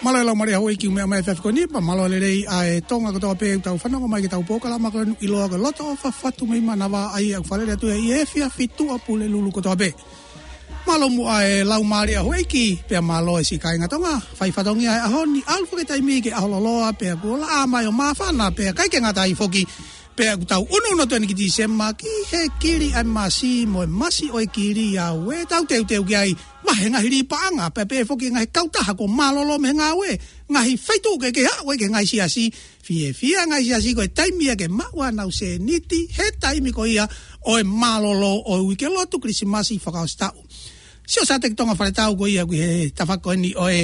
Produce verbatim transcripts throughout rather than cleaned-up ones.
Mālō e laumālie houʻeiki ʻoku meʻa mai he efiafi ko eni, pea mālō e lelei ʻa e Tonga kotoa pē ʻoku tau fanongo mai ki heʻetau polokalama ko eni ʻiloa ko e Loto ʻo Fafatu mei Manavā, ʻa ia ʻoku faleʻi atu ia ʻi he efiafi Tuʻapulelulu kotoa pē. Mālō muʻa e laumālie houʻeiki, pea mālō e siʻi kāinga Tonga, fai fatongia he ʻaho ni, ʻalu foki e taimi ke ʻaho loloa, pea kuo laʻā mai ʻo māfana, pea ʻikai ke ngata ai foki, pea ʻoku tau ʻunuʻunu atu eni ki Tīsema, ki he kili ʻa e masi mo e masi ʻo e kili ʻa ē ʻoku tau teuteu ki ai, vahe ngaahi līpaʻanga, pea pehē foki ngaahi kautaha kuo mālōlō mei he ngāue, ngaahi feituʻu kehekehe, ʻa ē ʻoku ʻikai ke ngaahi siasi, fiefia ngaahi siasi ko e taimi ia ke maʻu ʻenau sēniti, he taimi ko ia ʻo e mālōlō ʻo e uike lotu Kilisimasi fakaʻosi taʻu. Sio Sateki Tonga Faletau ko ia ʻoku ʻi he tafaʻaki ko eni ʻo e,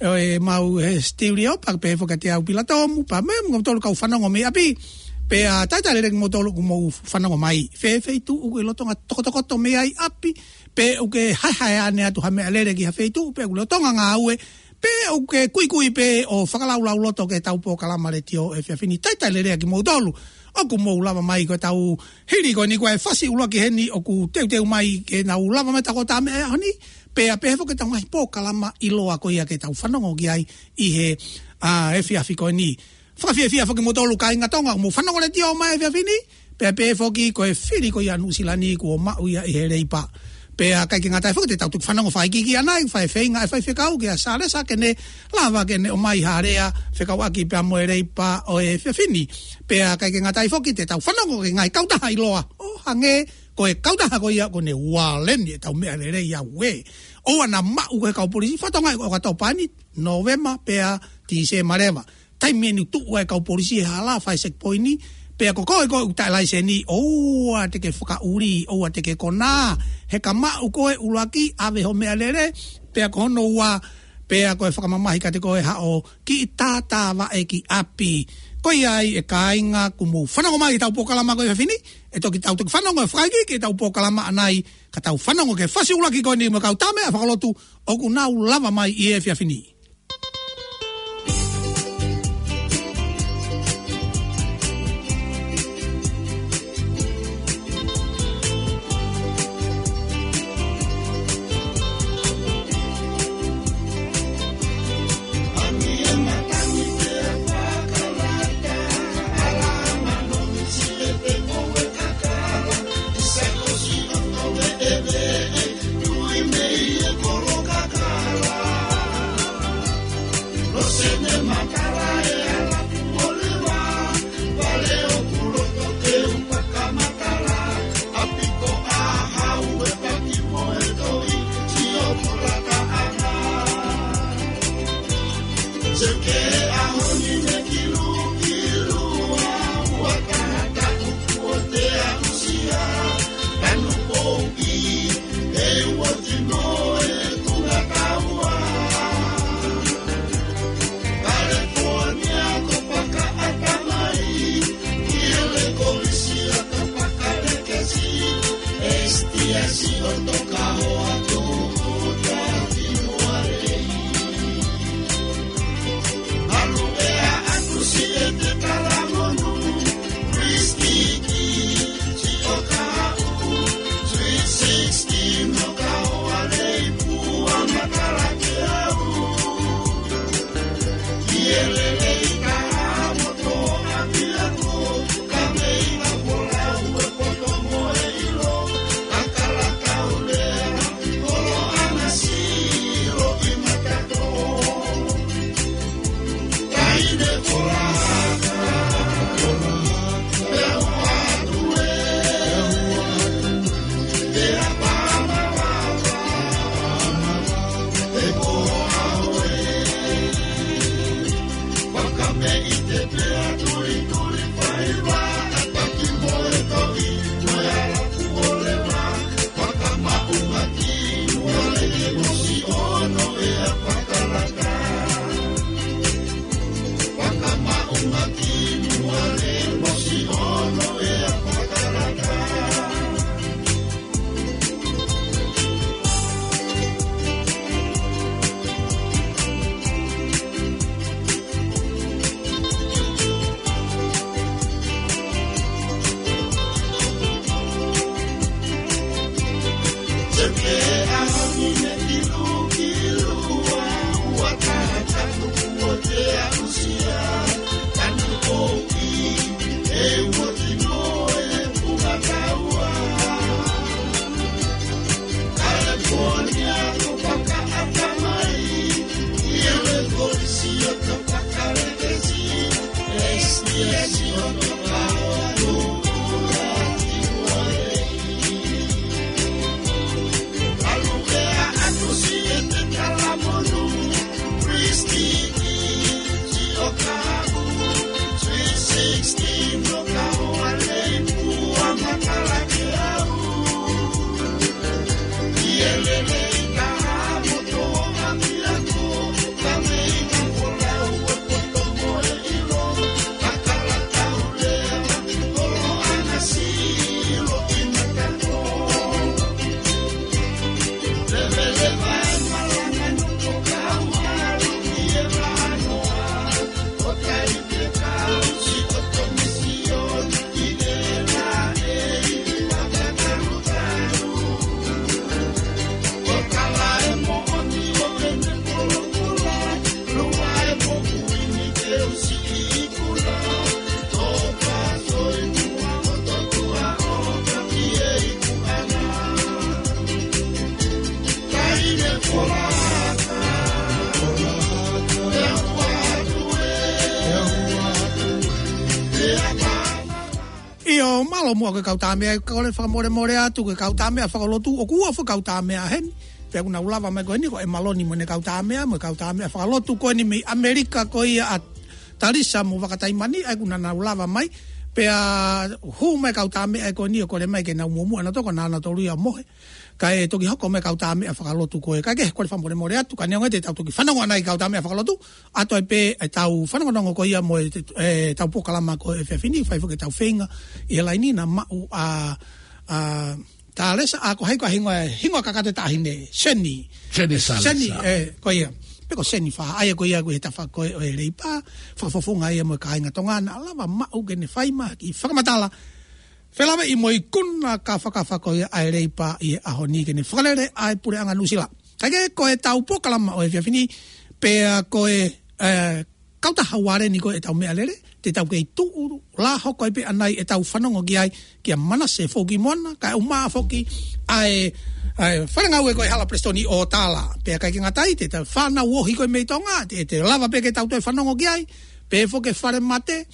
ʻo e mau he studio, pea pehē foki kiate au Pilatomu, pea mo kimoutolu kau fanongo mei ʻapi. Pea talitali lelei kimoutolu ʻoku mou fanongo mai. Fē feituʻu ʻoku ke lolotonga tokotokoto mei ai ʻapi, pe ʻoku ke haehae ʻanai atu ha meʻalele ki ha feituʻu, pe ʻoku ke lolotonga ngāue, pe ʻoku ke kuikui pē ʻo fakalaulauloto ki heʻetau polokalama letiō he efiafi ni, talitali lelei kimoutolu ʻoku mou lava mai. Ko ʻetau hili ko eni, ko e fasi ʻuluaki heni ʻoku teuteu mai ke nau lava mai he taha ua meʻa he ʻaho ni, pea pehē foki ki heʻetau ngaahi polokalama ʻiloa ko ia ke tau fanongo ki ai ʻi he, ʻa, efiafi ko eni. Fakafiefia foki kimoutolu kāinga Tonga ʻoku mou fanongo letiō mai he efiafi ni, pea pehē foki ko e fili ko ia ʻa Nuʻusila ni kuo maʻu ia ʻi he leipa. Pea ʻikai ke ngata ai foki, te tau toki fanongo fakaʻikiiki ʻanai, fai feinga e faifekau kia Salesa ke ne lava ke ne ʻomai ha lea fekauʻaki pea mo e leipa ʻo e efiafi ni. Pea ʻikai ke ngata ai foki, te tau fanongo ki he ngaahi kautaha ʻiloa ʻo hangē ko e kautaha ko ia ko eni Ualeni ʻetau meʻalele ia ʻoku ʻoua naʻa maʻu ʻe he kau polisi, fatongia ʻo e ʻOkatopa ni, Nōvema pea Tīsema leva. Taimi eni ʻoku tuʻu ai e kau polisi he hala fai checkpoint, pea ko koe ko ē ʻoku taʻe laiseni, ʻoua te ke fakaʻuli, ʻoua te ke konā, he ka maʻu koe ʻuluaki, ʻave hoʻo meʻalele, pea ko hono ua, pea ko e fakamamahi kiate koe haʻo kiʻi tātāvaʻe ki ʻapi. Ko ia ai e kāinga ʻoku mou fanongo mai ki heʻetau polokalama ko e efiafi ni, ʻe toki tau toki fanongo fakaʻikiiki ki heʻetau polokalama ʻanai, ka tau fanongo ki he fasi ʻuluaki ko eni mo e kau tama fakalotu ʻoku nau lava mai ʻi he efiafi ni. Mālō muʻa ko e kau tāmeʻa, kole fakamolemole atu ko e kau tāmeʻa fakalotu, ʻoku ua foki e kau tāmeʻa heni. Pea ʻoku nau lava mai ko eni ko ʻEmaloni mo ʻene kau tāmeʻa, mo e kau tāmeʻa fakalotu ko eni mei ʻAmelika ko ia ʻa Talisa mo Vakataimani, ʻa ia ʻoku nau lava mai. Pea hū mai e kau tāmeʻa ko eni ʻo kole mai ke nau muʻomuʻa nautolu, ko nautolu ia ʻoku mohe. Kae toki hoko mai e kau tāmeʻa fakalotu ko ē. Kae kehe, kole fakamolemole atu, ka neongo ia te tau toki fanongo ʻanai e kau tāmeʻa fakalotu, ʻa ia toe pē ʻetau fanongonongo ko ia mo e, ʻetau polokalama ko e efiafi ni, fai foki ʻetau feinga ʻi he laini naʻa maʻu ʻa, ʻa Talisa, ʻa ko hai ko e hingoa, hingoa kakato e taʻahine, Seni. Seni Talisa. Seni, ē, ko ia. Pe ko Seni Fā, ʻa ia ko ia ko e tafa ko ē ʻo e Leipa, fakafofonga ia mo e kāinga Tonga, naʻa lava maʻu ke ne fai mai ha kiʻi fakamatala felāveʻi mo e ikuna kafakafa ko ia ʻa e Leipa ʻi he ʻaho ni ke ne fakalele ʻa e Puleʻanga Nuʻusila. Kae kehe, ko ʻetau polokalama ʻo e efiafi ni, pea ko e, ē, kautaha uale ni ko ē ʻetau meʻalele, te tau kei tuʻu lā hoko ai pē ʻanai ʻetau fanongo ki ai kia Manase Foki Moana, kae ʻumaʻā foki ʻa e, ʻa e faʻahinga ngāue ko ē hala Palesiteni ʻo Tala. Pea ʻikai ke ngata ai, te tau fānau ohi ko ē mei Tonga, te, te lava pē ke tau toe fanongo ki ai, pehē foki e falemate,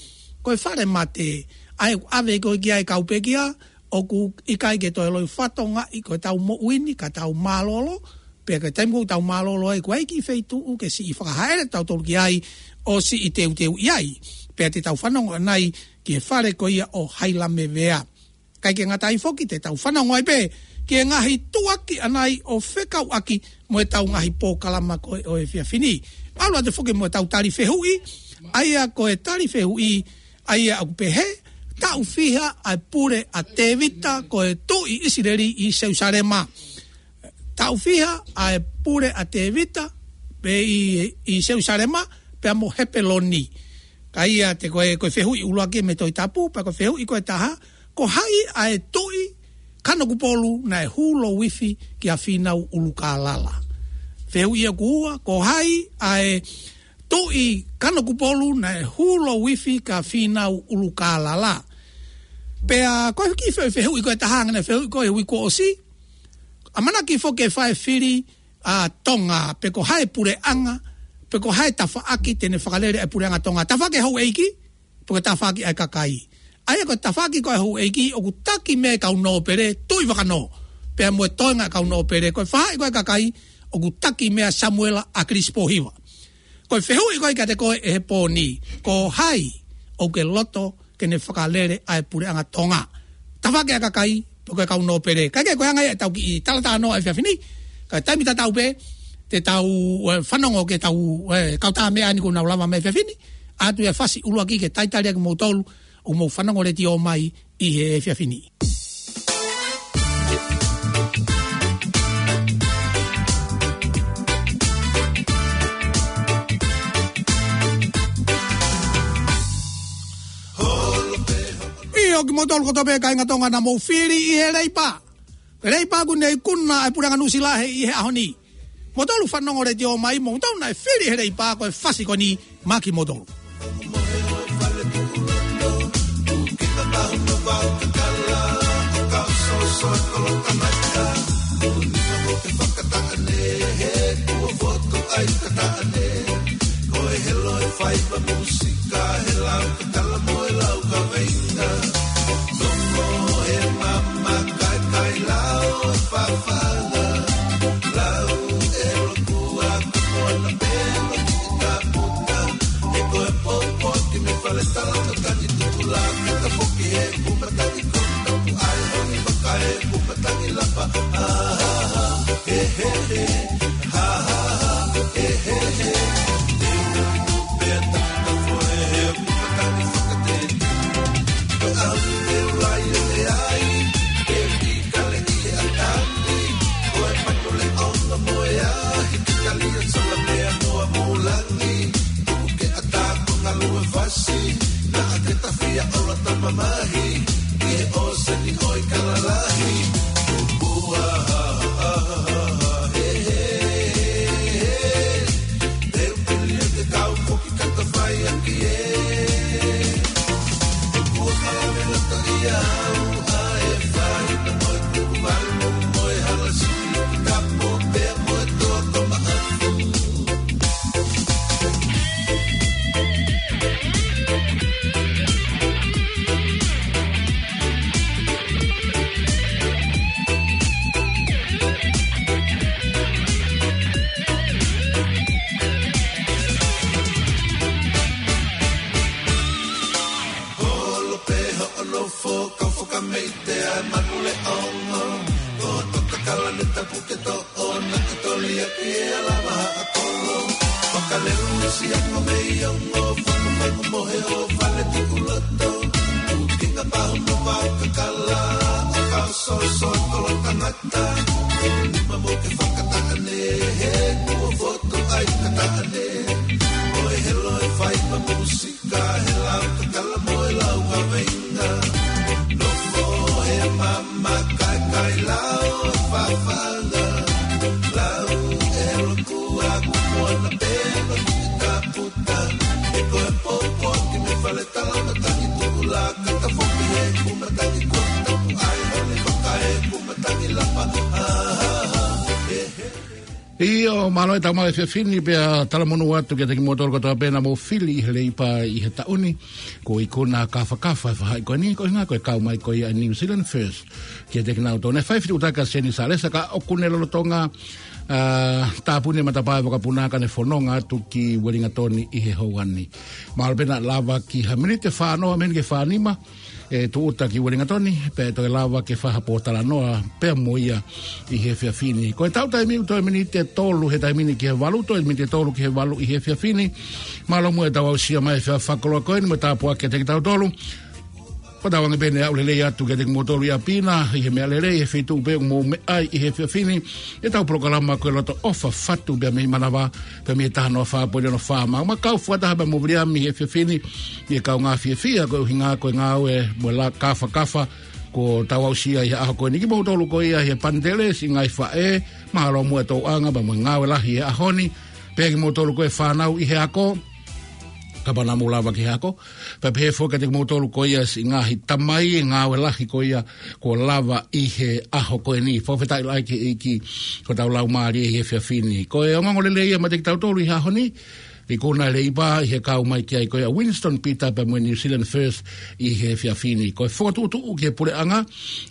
ko e falemate, ʻa ia ʻoku ʻave ko ē ki ai e kau pekia, ʻoku ʻikai ke toe loi fatongaʻi ko ʻetau moʻui ni, ka tau mālōlō, pea ko e taimi ʻoku tau mālōlō ai, ʻoku ʻikai ke feituʻu ke siʻi fakahaʻele tautolu ki ai, ʻo siʻi teuteuʻi ai. Pea te tau fanongo ʻanai ki he fale ko ia ʻo Hailamevea. ʻIkai ke ngata ai foki, te tau fanongo ai pē ki he ngaahi tuʻuaki ʻanai ʻo fekauʻaki mo ʻetau ngaahi polokalama ko ē ʻo e efiafi ni. ʻAlu atu foki mo ʻetau tali fehuʻi, ʻa ia ko e tali fehuʻi, ʻa ia ʻoku pehē, taʻu fiha ʻa e pule ʻa Tēvita ko e tuʻi ʻIsileli ʻi Selusalema. Taʻu fiha ʻa e pule ʻa Tēvita, pē ʻi, ʻi Selusalema, pea mo Hepeloni. Ka ia te ko e, ko e fehuʻi ʻuluaki mei he Tohi Tapu, pea ko e fehuʻi ko e taha, ko hai ʻa e tuʻi Kanokupolu naʻe hū louifi kia Fīnau ʻUlukālala. Fehuʻi ʻoku ua, ko hai ʻa e tuʻi Kanokupolu naʻe hū louifi kia Fīnau ʻUlukālala. Pea ko e kiʻi fe-, fehuʻi ko e taha, ngaahi fehuʻi ko ē he uike kuo ʻosi, ʻamanaki foki ke fai e fili ʻa Tonga, pe ko hai e puleʻanga, pe ko hai e tafaʻaki te ne fakalele ʻa e Puleʻanga Tonga. Tafaʻaki ʻa e houʻeiki, pe ko e tafaʻaki ʻa e kakai. ʻA ia ko e tafaʻaki ko ē ʻa e houʻeiki ʻoku taki mei ai e kau nōpele, Tuʻivakanō, pea mo e toenga e kau nōpele. Ko e faʻahi ko ē ʻa e kakai ʻoku taki mei ai ʻa Samuela ʻAkilisi Pōhiva. Ko e fehuʻi ko ē kiate koe ʻi he pō ni, ko hai ʻoku ke loto ke ne fakalele ʻa e Puleʻanga Tonga? Tafaʻaki ʻa e kakai, pe ko e kau nōpele? Kae kehe, ko e anga ia ʻetau kiʻi talatalanoa ʻo e efiafi ni. Ka ko e taimi tatau pē, te tau, ē, fanongo ki heʻetau, ē, kau tāmeʻa ni kuo nau lava mai he efiafi ni. ʻAtu ia e fasi ʻuluaki ke talitali ʻaki kimoutolu ʻoku mou fanongo letiō mai ʻi he efiafi ni. ʻIo, kimoutolu kotoa pē kāinga Tonga naʻa mou fili ʻi he Leipa. Leipa ʻoku ne ikuna ʻa e Puleʻanga Nuʻusila he, ʻi he ʻaho ni. Moutolu fanongo letiō mai, moutolu naʻe fili he Leipa, ko e fasi ko eni maʻa kimoutolu. ʻE ala maha a kolo, fakalelu isi ako mei ongo, fangu fangu mohe ʻo fale tuku loto, tukinga pahu mo fakakala, ʻo ka soso kolo tangata, nima mo ke fakataʻane, he kuo fotu ai kataʻane, ʻo e helo e fai ma musika, he lau kakala mo e lau kaveinga, nofo he mama kaikai lau e fafanga, lau e loku ʻIo, mālō e tau maʻu e efiafi ni pea talamonū atu kiate kimoutolu kotoa pē naʻa mou fili ʻi he Leipa ʻi he taʻu ni. Ko e ikuna kafakafa e faʻahi ko eni, ko e ʻuhinga ko e kau mai ko ia ʻa e New Zealand First kiate kinautolu. Naʻe fai fetuʻutaki ʻa Seni Salesa ka ʻoku ne lolotonga, ā, tāpuni e matapā e vakapuna ka ne fononga atu ki Uelingatoni ʻi he houa ni. Mahalo pē naʻe lava ki ha miniti ʻe fā noa mei heni ki he fā nima ʻe tūʻuta ki Uelingatoni, pea toe lava ke fai ha pōtalanoa pea mo ia ʻi he efiafi ni. Ko e tau taimi ʻoku toe miniti ʻe tolu he taimi ni ki he valu, toe miniti ʻe tolu ki he valu ʻi he efiafi ni. Mālō muʻa e tau aʻusia mai e efiafi fakakoloa ko eni mo e tāpuaki kiate kitautolu. Ko e tau ange pē eni e aʻu lelei atu kiate kimoutolu ʻi ʻapi na, ʻi he meʻa lelei, he feituʻu pē ʻoku mou meʻa ai ʻi he efiafi ni, ʻetau polokalama ko e Loto ʻOfa Fatu pea mei Manava, pea mei he taha noa fā poini ono fā. Mau ma kau fakataha pea mo Viliami he efiafi ni, ʻi he kaungā fiefia ko e ʻuhinga ko e ngāue mo e la kafakafa kuo tau aʻusia ʻi he ʻaho ko eni. Kimoutolu ko ia ʻi he panitele, siʻi ngaahi faʻē, mālō muʻa e tōʻanga pea mo e ngāue lahi he ʻaho ni, pea kimoutolu ko e fānau ʻi he ako, kapau naʻa mou lava ki he ako, pea pehē foki kiate kimoutolu ko ia siʻi ngaahi tamai, ngāue lahi ko ia kuo lava ʻi he ʻaho ko eni. Fakafetaʻi lahi ki he ʻEiki ko hotau laumālie ʻi he efiafi ni. Ko e ongoongo lelei ia maʻa kitautolu ʻi he ʻaho ni, ikuna e Leipa ʻi he kau mai ki ai ko ia Winston Peter pea mo e New Zealand First ʻi he efiafi ni. Ko e fokotuʻutuʻu ki he puleʻanga,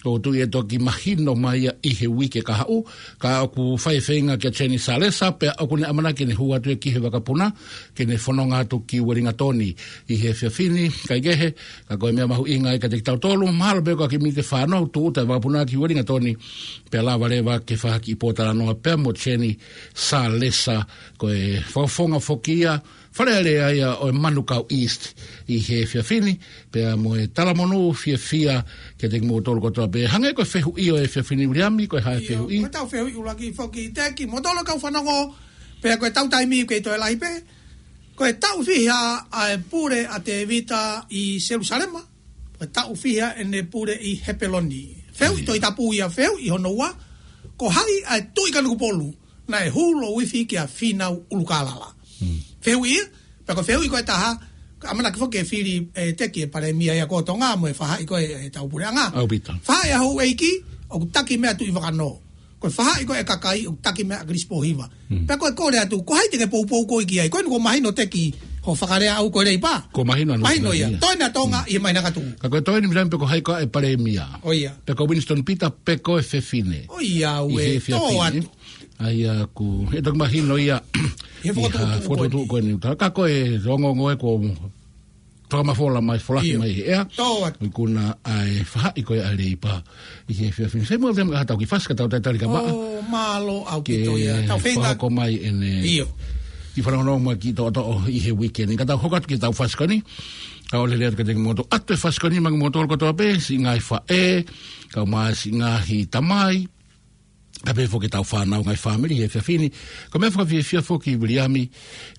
ʻoku ou tui ʻe toki mahino mai ia ʻi he uike kahaʻu, ka ʻoku fai e feinga kia Seni Salesa, pea ʻoku ne ʻamanaki ʻene hū atu ia ki he vakapuna, ke ne fononga atu ki Uelingatoni ʻi he efiafi ni. Kae kehe, ka ko e meʻa mahuʻinga ia kiate kitautolu, mahalo pē ko e kiʻi miniti ʻe fā noa ʻoku tūʻuta e vakapuna ki Uelingatoni, pea lava leva ke fai ha kiʻi pōtalanoa pea mo Seni Salesa, ko e fakafofonga foki ia, Fale Alea ia ʻo e Manukau East ʻi he efiafi ni, pea mo e talamonū fiefia kiate kimoutolu kotoa pē. Hangē ko e fehuʻi ʻo e efiafi ni, Viliami, ko e hā e fehuʻi? Ko e tau fehuʻi ʻuluaki foki, Teki, kimoutolu kau fanongo, pea ko e tau taimi kei toe lahi pē. Ko e taʻu fiha ʻa e pule ʻa Tēvita ʻi Selusalema? Ko e taʻu fiha ʻene pule ʻi Hepeloni? Fehuʻi Tohi Tapu ia. Fehuʻi hono ua, ko hai ʻa e Tuʻi Kanokupolu naʻe hū louifi kia Fīnau ʻUlukālala? Fehuʻi ia. Pea ko e fehuʻi ko e taha, ka ʻamanaki foki ke fili, ʻe Teki, e palēmia ia ko Tonga mo e faʻahi ko e, e tau puleʻanga. ʻAupito. Faʻahi ʻa Houʻeiki, ʻoku taki mei ai ʻa Tuʻivakanō. Ko e faʻahi ko e kakai, ʻoku taki mei ai ʻa Kilisi Pōhiva. Pea ko e kole atu, ko hai te ke poupou koe ki ai? Ko eni kuo mahino, Teki, hoʻo fakalea ʻaʻau ko e Leipa. Kuo mahino ʻaʻana. Mahino ia. Toe ʻa Tonga ʻi he māhina ka tuʻu. Ka ko e toe eni, Viliami, pe ko hai koā e palēmia? ʻIo. Pe ko Winston Peter, pe ko e fefine? ʻIo, ʻi he efiafi ni. ʻAi ʻaku, ʻe toki mahino ia ʻi he fokotuʻutuʻu ko eni. Ka ko e ongoongo ē kuo fakamafola mai, folahi mai he ʻea. Ikuna ʻa e faʻahi ko ia ʻa e Leipa ʻi he efiafi ni. Sai muʻa Viliami, ka tau kiʻi fasi ka tau talitali ka maʻa. ʻO, mālō ʻaupito ia. Ke fakahoko mai ʻene kiʻi fanongonongo mo e kiʻi toʻotoʻo ʻi he uike ni. Ka tau hoko atu ki he tau fasi ko eni. Ka ʻoku lelei atu kiate kimoutolu atu e fasi ko eni maʻa kimoutolu kotoa pē, siʻi ngaahi faʻē, kae ʻumaʻā siʻi ngaahi tamai, kae pehē foki ki he tau fānau, ngaahi fāmili he efiafi ni. Ko e meʻa fakafiefia foki, Viliami,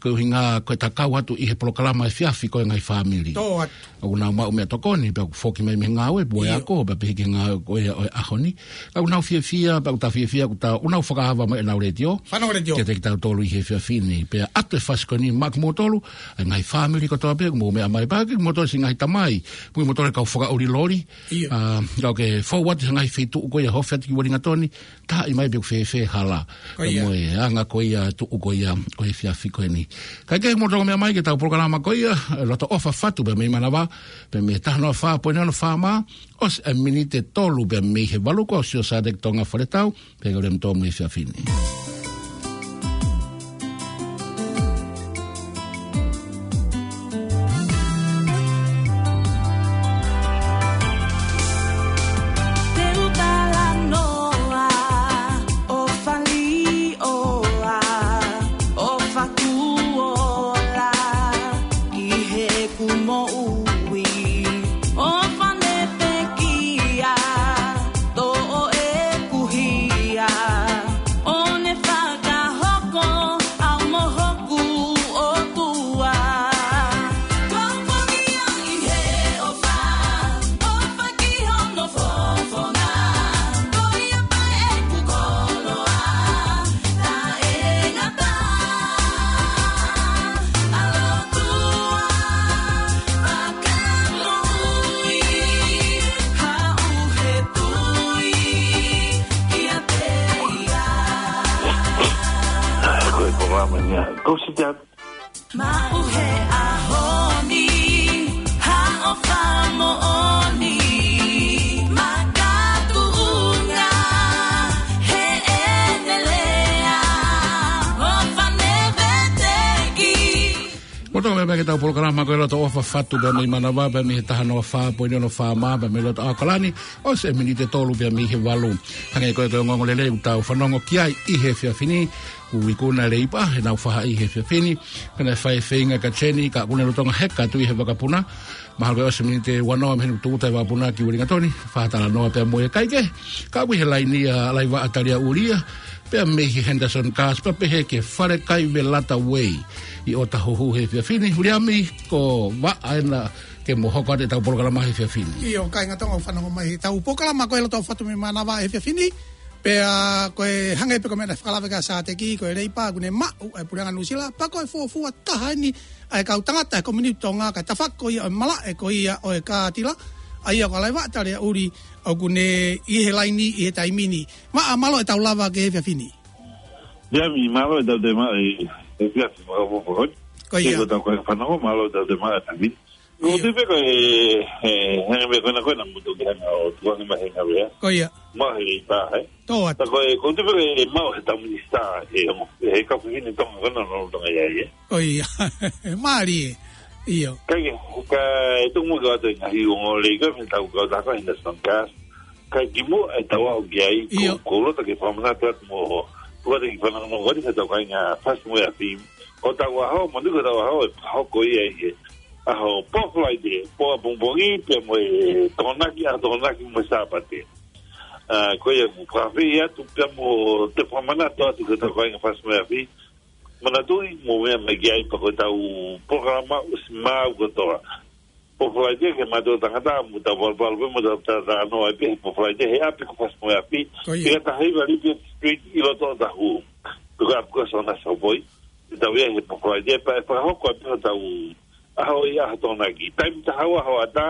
ko e ʻuhinga ko e tau kau atu ʻi he polokalama efiafi ko e ngaahi fāmili. Tō atu. ʻOku nau maʻu meʻatokoni, pea ʻoku foki mai mei he ngāue, pea ʻoku ako, pea pehē ki he ngāue ko ia ʻo e ʻaho ni. Ka ʻoku nau fiefia, pea ʻoku tau fiefia, ʻoku tau, ʻoku nau fakaava mai ʻenau letiō. Fānau letiō. Kiate kitautolu ʻi he efiafi ni. Pea ʻoatu e fasi ko eni maʻa kimoutolu, ʻa e ngaahi fāmili kotoa pē ʻoku mou meʻa mai, pea kimoutolu siʻi ngaahi tamai, mo kimoutolu kau fakaʻuli loli. ʻIo. ʻA, ka ʻoku ke fou atu he ngaahi feituʻu ko ia, ofi atu ki Uelingatoni, taaʻi mai pe ʻoku fēfē e hala. Ko ia. Mo e anga ko ia, tuʻu ko ia ʻo e efiafi ko eni. Kae kehe, mou toki meʻa mai ki he tau polokalama ko ia, Loto ʻOfa Fatu pea mei Manava, pea mei he taha noa fā poini ono FM, ʻosi e miniti ʻe tolu pea mei he valu, ko Siosiua Sāteki Tonga Faletau, pea ko Lem Tom he efiafi ni. Ia, ko si te at- Maʻu he ʻaho ni, haʻo fakamoʻoni, makatuʻunga, heʻene lea, ʻo fane veteki. Mo toka mai pē ki heʻetau polokalama ko e Loto ʻOfa, fatu pē mei Manava, pē mei he taha noa fā poini ono FM, pē mei loto ʻAokalani, ʻosi e miniti ʻe tolu pē mei he valu. Hangē ko e, ko e ongoongolelei ʻoku tau fanongo ki ai ʻi he efiafi ni, ʻoku ikuna e Leipa heʻenau faʻahi ʻi he efiafi ni, pea naʻe fai e feinga kia Jenny, ka ʻoku ne lolotonga heka atu ʻi he vakapuna. Mahalo ko e ʻosi e miniti ʻe uanoa mei heʻene tūʻuta e vakapuna ki Uelingatoni, fakatalanoa pea mo e kakai kehe. Ka ʻoku ʻi he laini ʻa Laivaʻa Taliaʻuli ia, pea mei he Henderson Gas, pea pehē ki he Fale Kai Velata Way ʻi ʻOtahuhu he efiafi ni. Uliami, ko e vaʻa ena ke mo hoko atu ʻetau polokalama he efiafi ni. ʻIo, kāinga Tonga ʻoku fanongo mai heʻetau polokalama ko e Loto ʻOfa atu mei Manava he efiafi ni. Pea ko e hangē pē ko e meʻa naʻe fakalaveʻi ʻe Sāteki, ko e Leipa ʻoku ne maʻu ʻa e Puleʻanga Nuʻusila, pea ko e fuofua taha eni ʻa e kau tangata he Komiuniti Tonga, kae tafoki ko ia ʻo e malaʻe ko ia ʻo e kātila, ʻa ia ko Laivaʻa Taliaʻuli ʻoku ne ʻi he laini ʻi he taimi ni. Maʻa, mālō ʻetau lava ki he efiafi ni. Uliami, mālō ʻetau toe maʻu e, e efiafi fakafoʻou. Ko ia. Ko ʻetau kāinga fanongo, mālō ʻetau toe maʻu e efiafi ni. Ko ʻIo. Te pehē ko e, e, he meʻa ko ena ko ena mo toki hanga ʻo tukuange mai he ngaahi meʻa. Ko ia. Maʻu he Leipa, ē? Tō atu. Tā ko e, ko te pehē ko e maʻu he tau minisitā, he, he kau fefine Tonga ko ena ʻoku nau lolotonga ʻi ai, ē? Ko ia. Mālie. ʻIo. Ka ke, ka e tuku muʻa atu e ngaahi ongoongolelei ko e fē tau kau tā ko e Henderson Gas. Ka kimuʻa ʻetau aʻu ki ai, ko, ʻIo. ko e loto ke fakamanatu atu mo, ko e loto ke fanongo ko eni he tau kāinga Fasi mo e Afi. Ko hotau ʻaho, mo ʻetau ʻaho, ʻe hoko ia ʻi he ʻaho Pō Falaite, pō ʻapongipongi, pea mo e Tokonaki, ʻaho Tokonaki mo e Sāpate. ʻA, ko ia ʻoku ou fakaafeʻi atu, pea mo toe fakamanatu atu ki he tau kāinga Fasi mo e Afi. Manatuʻi, mou meʻa mai ki ai pea ko ʻetau polokalama ʻosi maʻu kotoa. Pō Falaite ke maʻu ʻe he tangata, mo tau valuvalu pē, mo tau talanoa ai pē he Pō Falaite he ʻapi ko Fasi mo e Afi. Ko ia. Pea taha hiva Lipi Street ʻi loto ʻOtahuhu. Pea ko e ʻapi ko Sona Sopoi. Te tau ia he Pō Falaite pea ʻe fakahoko ai pē hotau ʻaho ʻi ʻaho Tokonaki. Taimi taha ua hoʻatā,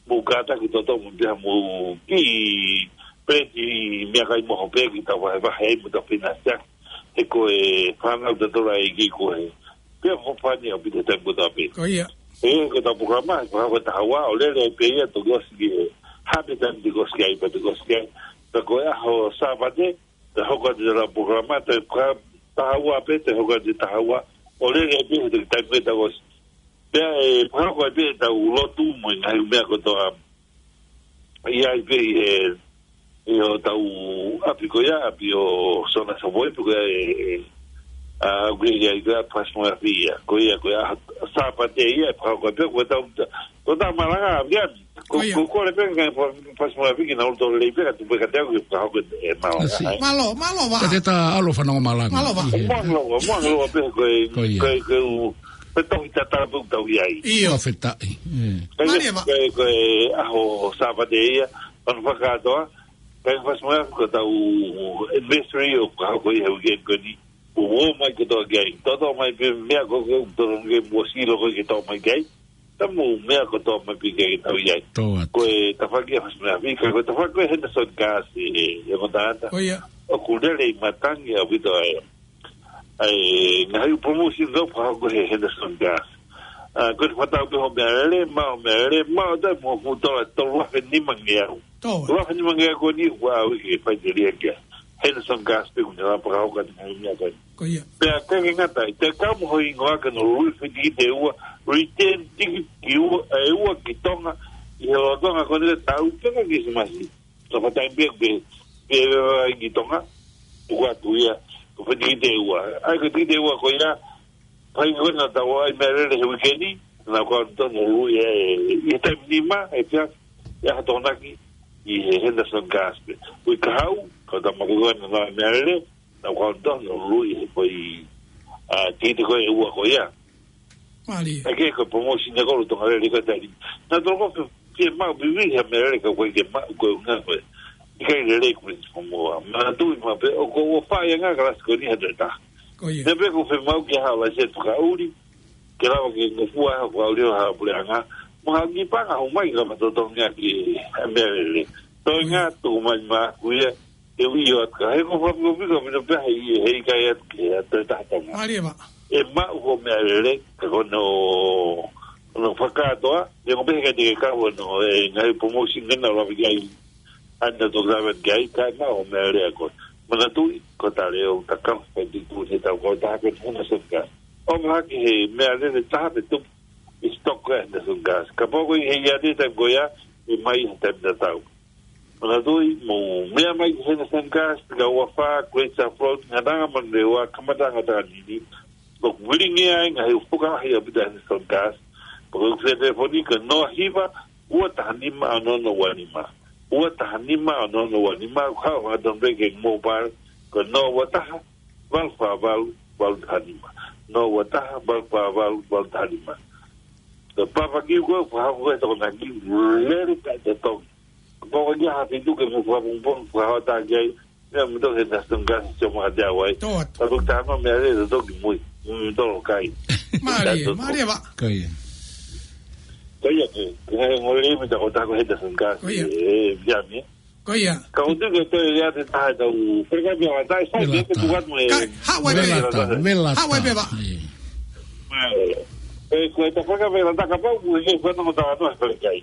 mou kātaki toto mo pea mo ki peleti meʻakai mo hope ki tau vahevahe ai mo tau finasi. He ko e fānau tatau ai ki ko e. Pea mo fani ʻaupito taimi kotoa pē. Ko ia. He ko ʻetau polokalama, he ko e taha ua, ʻo lele ai pē ia toki ʻosi ki he. Hape taimi toki ʻosi ki ai, pea toki ʻosi ki ai. Pea ko e ʻaho Sāpate, te hoko atu ʻetau polokalama, te ka taha ua pē, te hoko atu taha ua, ʻo lele ai pē he taimi pē tau ʻosi. Pea ʻe fakahoko ai pē ʻetau lotu mo e ngaahi meʻa kotoa. ʻI ai pē ʻi he, ʻi hotau ʻapi ko ia, ʻapi ʻo Sona Sopoi, pē ko ia ʻe, ʻe, ʻa, ʻoku ʻi ai ko ia Fasi mo e Afi ia. Ko ia, ko ia, Sāpate ia, ʻe fakahoko ai pē, ko ʻetau, ko ʻetau malanga, ʻa, ia, Ko, Ko ia. ko, ko le pē ngaahi Fasi mo e Afi ke nau loto lelei pē ka tupu e katea ke fakahoko e malanga, Asi. ʻAi. Mālō, mālō Vaʻa. Ka te ta ʻalu ʻo fanongo malanga. Mālō Vaʻa. ʻI he Mālō, mālō pē ko e, Ko ia. ko e, ko e u, ko e tohi tatau pē ʻoku tau ʻi ai. ʻIo. Fakafetaʻi. ʻE. Ko e, Mālie Vaʻa. ko e, ko e ʻaho Sāpate ia, ʻoku ou fakakātoa, ko e Fasi mo e Afi ko ʻetau anniversary ʻoku fakahoko ʻi he weekend ko eni. ʻO ō mai kotoa ki ai. Toto mai pē meʻa ko ē, toto ke mo silo ko ē ke toto mai ki ai. Tamu meʻa kotoa mai pē ki ai ke tau ʻi ai. Tō atu. Ko e tafaʻaki ʻa Fasi mo e Afi, ka ko e tafaʻaki ko e Henderson Gas ʻi he, ʻi he kotata. Ko ia. ʻOku lele ʻi matangi ʻaupito ai. ʻAi, ngaahi promotion ko ē fakahoko he Henderson Gas. ʻA, ko e fakatau pē hoʻo meʻalele, maʻu hoʻo meʻalele, maʻu ʻo toe mo fuʻu tola tolu afe nima ngeau. Tō. Tolu afe nima ngeau ko eni ʻoku ʻaʻau ke fai te lia kia. Henderson Gas pē ʻoku ne lava fakahoko atu ngaahi meʻa ko ē. Ko ia. Pea ke ke ngata ai, te kau mo ho hingoa ke nau lui fiti ki te ua, return ticket ki ua, ʻe ua ki Tonga, ʻi he lolotonga ko eni ʻo e taʻu pē ka Kilisimasi. Ka fakatai pē ke, ke ʻi Tonga, ʻoku ʻatu ia, ko fiti ki te ua. ʻAi ko fiti ki te ua ko ia, Fai ko ena tau ʻai meʻalele he weekend ni, naʻa ko ʻanto no lui e, ʻi he taimi nima, ʻe pia, ʻi ʻaho Tokonaki, ʻi he Henderson Gas pē. Uike kahaʻu, kau tama ko ena naʻa meʻalele, naʻa ko ʻanto no lui he ko e, ʻa, tite ko e ua ko ia. Mālie. ʻAi ke ko e promotion ʻa e kolo Tonga lele ko e taimi. Naʻa toko fe, fie maʻu vivi ha meʻalele ka ko e ke maʻu ko e ʻuhinga ko e. ʻIkai lele ko e mo. Manatuʻi maʻu pē, ʻoku ou fai ʻa e ngaahi kalasi ko eni ha toe taha. Ko ia. Naʻe pē ko e fiemaʻu ke haʻu ʻo ʻasi e fakaʻuli, ke lava ke ngofua ha fakaʻuli ʻo ha puleʻanga, mo ha kiʻi paʻanga ʻomai ka ma totongi ʻaki e meʻalele. Toenga, tuku mai maʻaku ia, ʻIo, ʻio, atu ka he ko fakafiofio ka mino pea he, he ʻikai atu ke atu e taha Tonga. Mālie ā. ʻE maʻu hoʻo meʻalele, ka ko hono, hono fakakātoa, ʻe ko pehē ka te ke kau hono, e ngaahi promotion ke na lava ki ai, ʻa na tō lava ki ai, kae maʻu hoʻo meʻalele ʻa koe. Manatuʻi, ko Tale ʻo Takau, kae tui tuʻu he tau kau taha ko Henderson Gas. ʻO mahaki he meʻalele taha pē tupu, ʻi stock ʻa Henderson Gas. Kapau ko e ʻi he ia te taimi ko ia, ʻe mai he taimi tatau. Manatuʻi, mou meʻa mai ki Henderson Gas, Fika Ua Fā, Great South Road, Ngataʻanga Manurewa, Kamataʻanga Takanini. ʻOku vilingia ai ngaahi ʻū fukahi ʻa pita Henderson Gas. Pea ko e telefoni ko e noa hiva, ua taha nima, ono ono ua nima. Ua taha nima, ono ono ua nima, ko e hau ha ton reke mobile, ko e noa ua taha, valu fā valu, valu taha nima. Noa ua taha, valu fā valu, valu taha nima. Ko e papa kiu ko e, fakahoko e Tokonaki, lele ka te tongi. Ko e ia ha fitu ke mo fakapongipongi, fakahota ki ai, meʻa mo toki he Henderson Gas, sio mo ʻa te au ai. Tō atu. Ka toki taha ma meʻalele, toki mui. Mm, tolo kai. Mālie, mālie ā. Ko ia. Ko ia ke, ke ngaahi ngole mi ta ko ta ko Henderson Gas. Ko ia. E, via mi. Ko ia. Ka ʻoku tuʻu ke toe ia te taha tau. Peka mi ʻa tai, sai, Vela ke ta. Tuku atu mo e. Ka, haʻu ai pē. Vela ta, Vela ta. Haʻu ai pē ā. Ē. Mālie. E, ko e ta peka Vela ta kapau, ko e ke fana mo ta no e kai.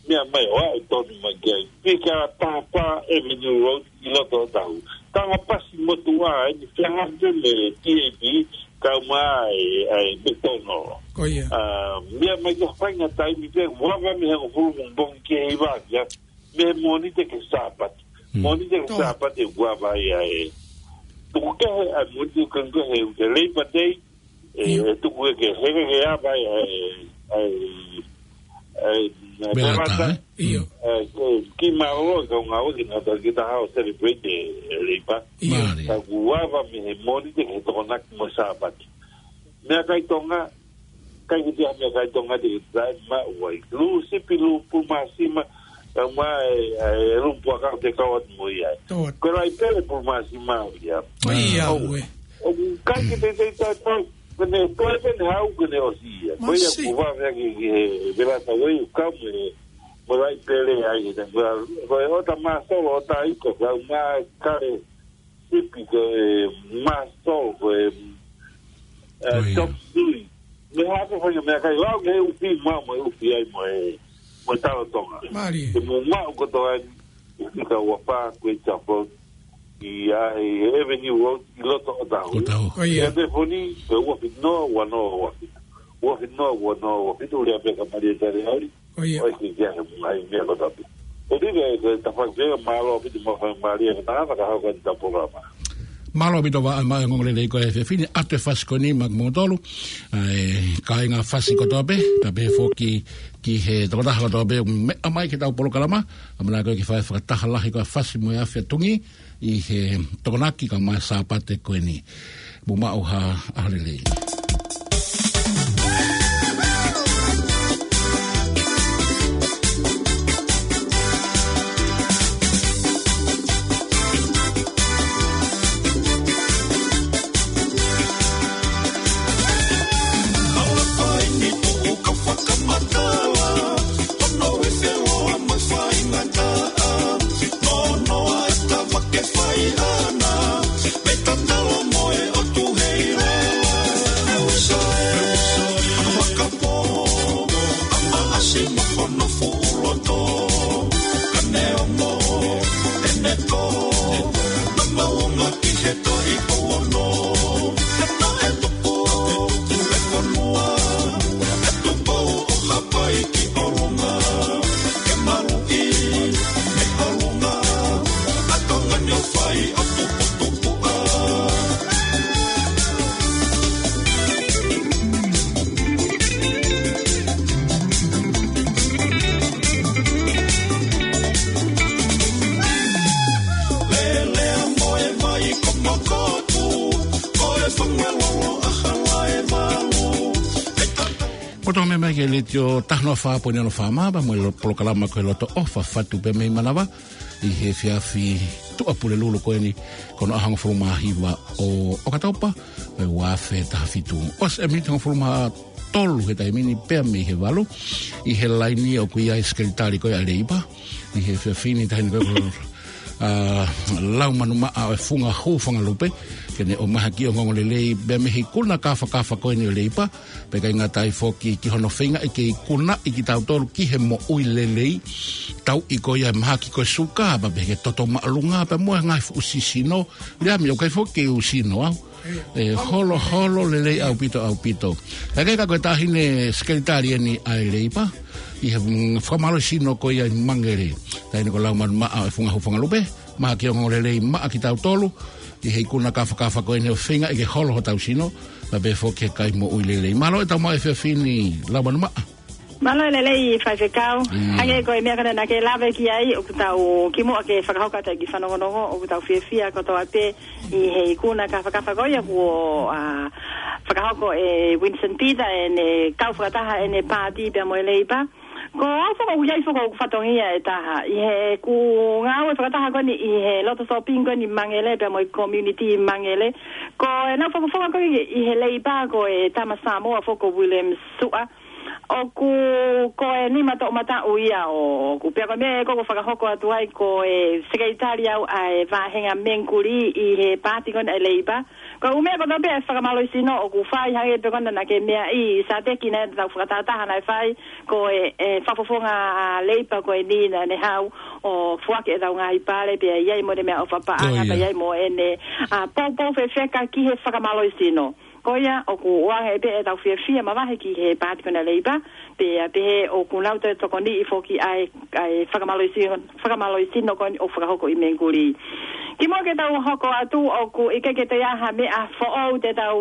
Meʻa mai ʻo aʻu tonu mai ki ai. Fika Taha Fā Avenue Road ʻi loto ʻo Tahu. Tanga pasi motuʻa eni fehangahangai mo e T A B, kau mai ai McDonald. Ko ia. Ā, meʻa mai ki ha faʻahinga taimi pē, ua ua mei he hongofulu pongipongi ki he hiva ʻaʻaku ia, mei he Mōnite ki he Sāpate. Hmm. Mōnite ki he Tō. Sāpate ua ua ia ē. Tuku kehe ʻa e Mōnite ko e, ko e he, he Labor Day, ʻE, ʻIo. ʻE tuku e ke heke ke ava e, e, e, e, Vela ta, Vela ta. Ē? ʻIo. E, ke, ki mālō, ka ngā o ki nā tā ki tā hao celebrate e, e Labor. ʻIo. Mālie. Ka kuo ava mei he Mōnite ki he Tokonaki mo e Sāpate. Meʻakai Tonga, kai ki te meʻakai Tonga te ke tae ma uai. Lū sipi, lū pulu māsima, ka ma e, e, lū puaka te kau atu mo ia. Tō atu. Ko e laʻi pele pulu māsima ia. ʻIo, ʻOu. ʻOe. ʻOku ʻikai ke teitei tautau, ko ʻene toe pē ʻene haʻu ko ʻene ʻosi ia. Ko ia Masi. Kuo vave ki, ki he Vela ta Way, ʻoku kau mo e, mo e laʻi pele ai, he tangua, ko e ʻota māsolo, ʻota iko, kau mā kale sipi, ko e māsolo, ko e, e, Ko ia. Chop suey. Mei hā pē fai meʻakai, lau ke ufi ma, mo e ufi ai, mo e, mo e talo Tonga. Mālie. Te mo maʻu kotoa ai, Fika Ua Fā, Great South Road, ʻi ʻa e Avenue Road, ʻi loto ʻo Tahu. ʻO Tahu. Ko ia. Ia telefoni, ko e ua fitu noa, ua noa, ua fitu. Ua fitu noa, ua noa, ua fitu, lea pē kia Malia Taliauli. Ko ia. ʻOi, ke kia he mungai meʻa ko tapi. ʻO tike, ke tafaki pē, mālō ʻaupito mo e faingamālie, ke tangata ka hoko ʻi he polokalama. Mālō ʻaupito ʻa e ongoongolelei ko e efiafi ni, ʻoatu e fasi ko eni maʻa kimoutolu. ʻA e kāinga fasi kotoa pē, pea pehē foki ki he tokotaha kotoa pē, meʻa mai ki heʻetau polokalama, ʻamanaki ko e kiʻi fai fakataha lahi ko e fasi mo e afi ʻa Tonga, ʻi he Tokonaki kae ʻumaʻā e Sāpate ko eni. Mou maʻu ha ʻaho lelei. Ko e tau meʻa mai ki he Letiō taha noa fā poini ono FM, pea mo e lo-, polokalama ko e Loto ʻOfa, fatu pē mei Manava, ʻi he efiafi Tuʻapulelulu ko eni, ko hono ʻaho hongofulu mā hiva ʻo ʻOkatopa, ʻo e ua afe taha fitu. ʻOsi e miniti hongofulu mā tolu he taimi ni pea mei he valu, ʻi he laini ʻoku ʻi ai e Sekelitali ko ia ʻa e Leipa, ʻi he efiafi ni, taʻahine ko e ʻa Laumanu Maʻa ʻo e Funga Hūfangalupe, ke ne ʻomai ha kiʻi ongoongolelei pea mei he ikuna kāfakafa ko eni ʻo e Leipa, pea ʻikai ngata ai foki ki hono feingaʻi ke ikunaʻi kitautolu ki he moʻui lelei, tauʻi ko ia e mahaki ko e suka, pea pehē ki he toto māʻolunga, pea mo e ngaahi fuʻu sino, lea mi ʻoku ʻikai foki ke u sino au. ʻE holoholo lelei ʻaupito, ʻaupito. Ka ke ka ko e taʻahine sekelitali eni ʻa e Leipa, ʻi he, mm, fakamālohisino ko ia ʻi Mangele. Taʻahine ko Laumanu Maʻa ʻo e Funga Hūfangalupe, ʻomai ha kiʻi ongoongolelei maʻa kitautolu, ʻi he ikuna kāfakafa ko eni ʻo e feingaʻi ke holo hotau sino, pea pehē foki ki he kai moʻui lelei. Mālō e tau maʻu efiafi ni Laumanu Maʻa. Mālō e lelei Faifekau. Mm. Hangē ko e meʻa ko ena naʻa ke lave ki ai, ʻoku tau kimuʻa ke fakahoko atu e kiʻi fanongonongo, ʻoku tau fiefia kotoa pē ʻi he ikuna kāfakafa ko ia kuo, ʻa, fakahoko ʻe Winston Peters ʻene kau fakataha ʻene paati pea mo e Leipa. Ko au foki ʻoku ʻi ai foki hoku fatongia ʻe taha. ʻI heʻeku ngāue fakataha ko eni ʻi he loto shopping ko eni Mangele pea mo e community Mangele. Ko ʻenau fakafofonga ko ē ʻi he Leipa ko e tama Samoa foki ko William Suʻa. ʻOku ko e nima toʻomataʻu ia ʻoʻoku. Pea ko e meʻa ko ē ʻoku fakahoko atu ai ko e sekelitali au ʻa e vāhenga Mengikuli ʻi he paati ko ena ʻa e Leipa. Ko e ʻū meʻa kotoa pē ʻa e fakamālohisino ʻoku fai hangē pē ko ena naʻa ke meaʻi Sateki naʻe tau fakatahataha naʻe fai ko e, e fakafofonga ʻa e Leipa ko eni naʻa ne haʻu ʻo foaki ʻetau ngaahi pale pea ʻi ai mo ʻene meʻaʻofa paʻanga, ko ia, pea ʻi ai mo ʻene, ʻa, poupou fefeka ki he fakamālohisino. Ko ia, ʻoku ʻoange pē ʻetau fiefia mavahe ki he paati ko ena Leipa, pea pehē ʻoku nau toe tokoniʻi foki ʻa e, ʻa e fakamālohisino, fakamālohisino ko eni ʻoku fakahoko ʻi Mengikuli. Kimuʻa ke tau hoko atu, ʻoku ʻikai ke toe ʻi ai ha meʻa foʻou te tau,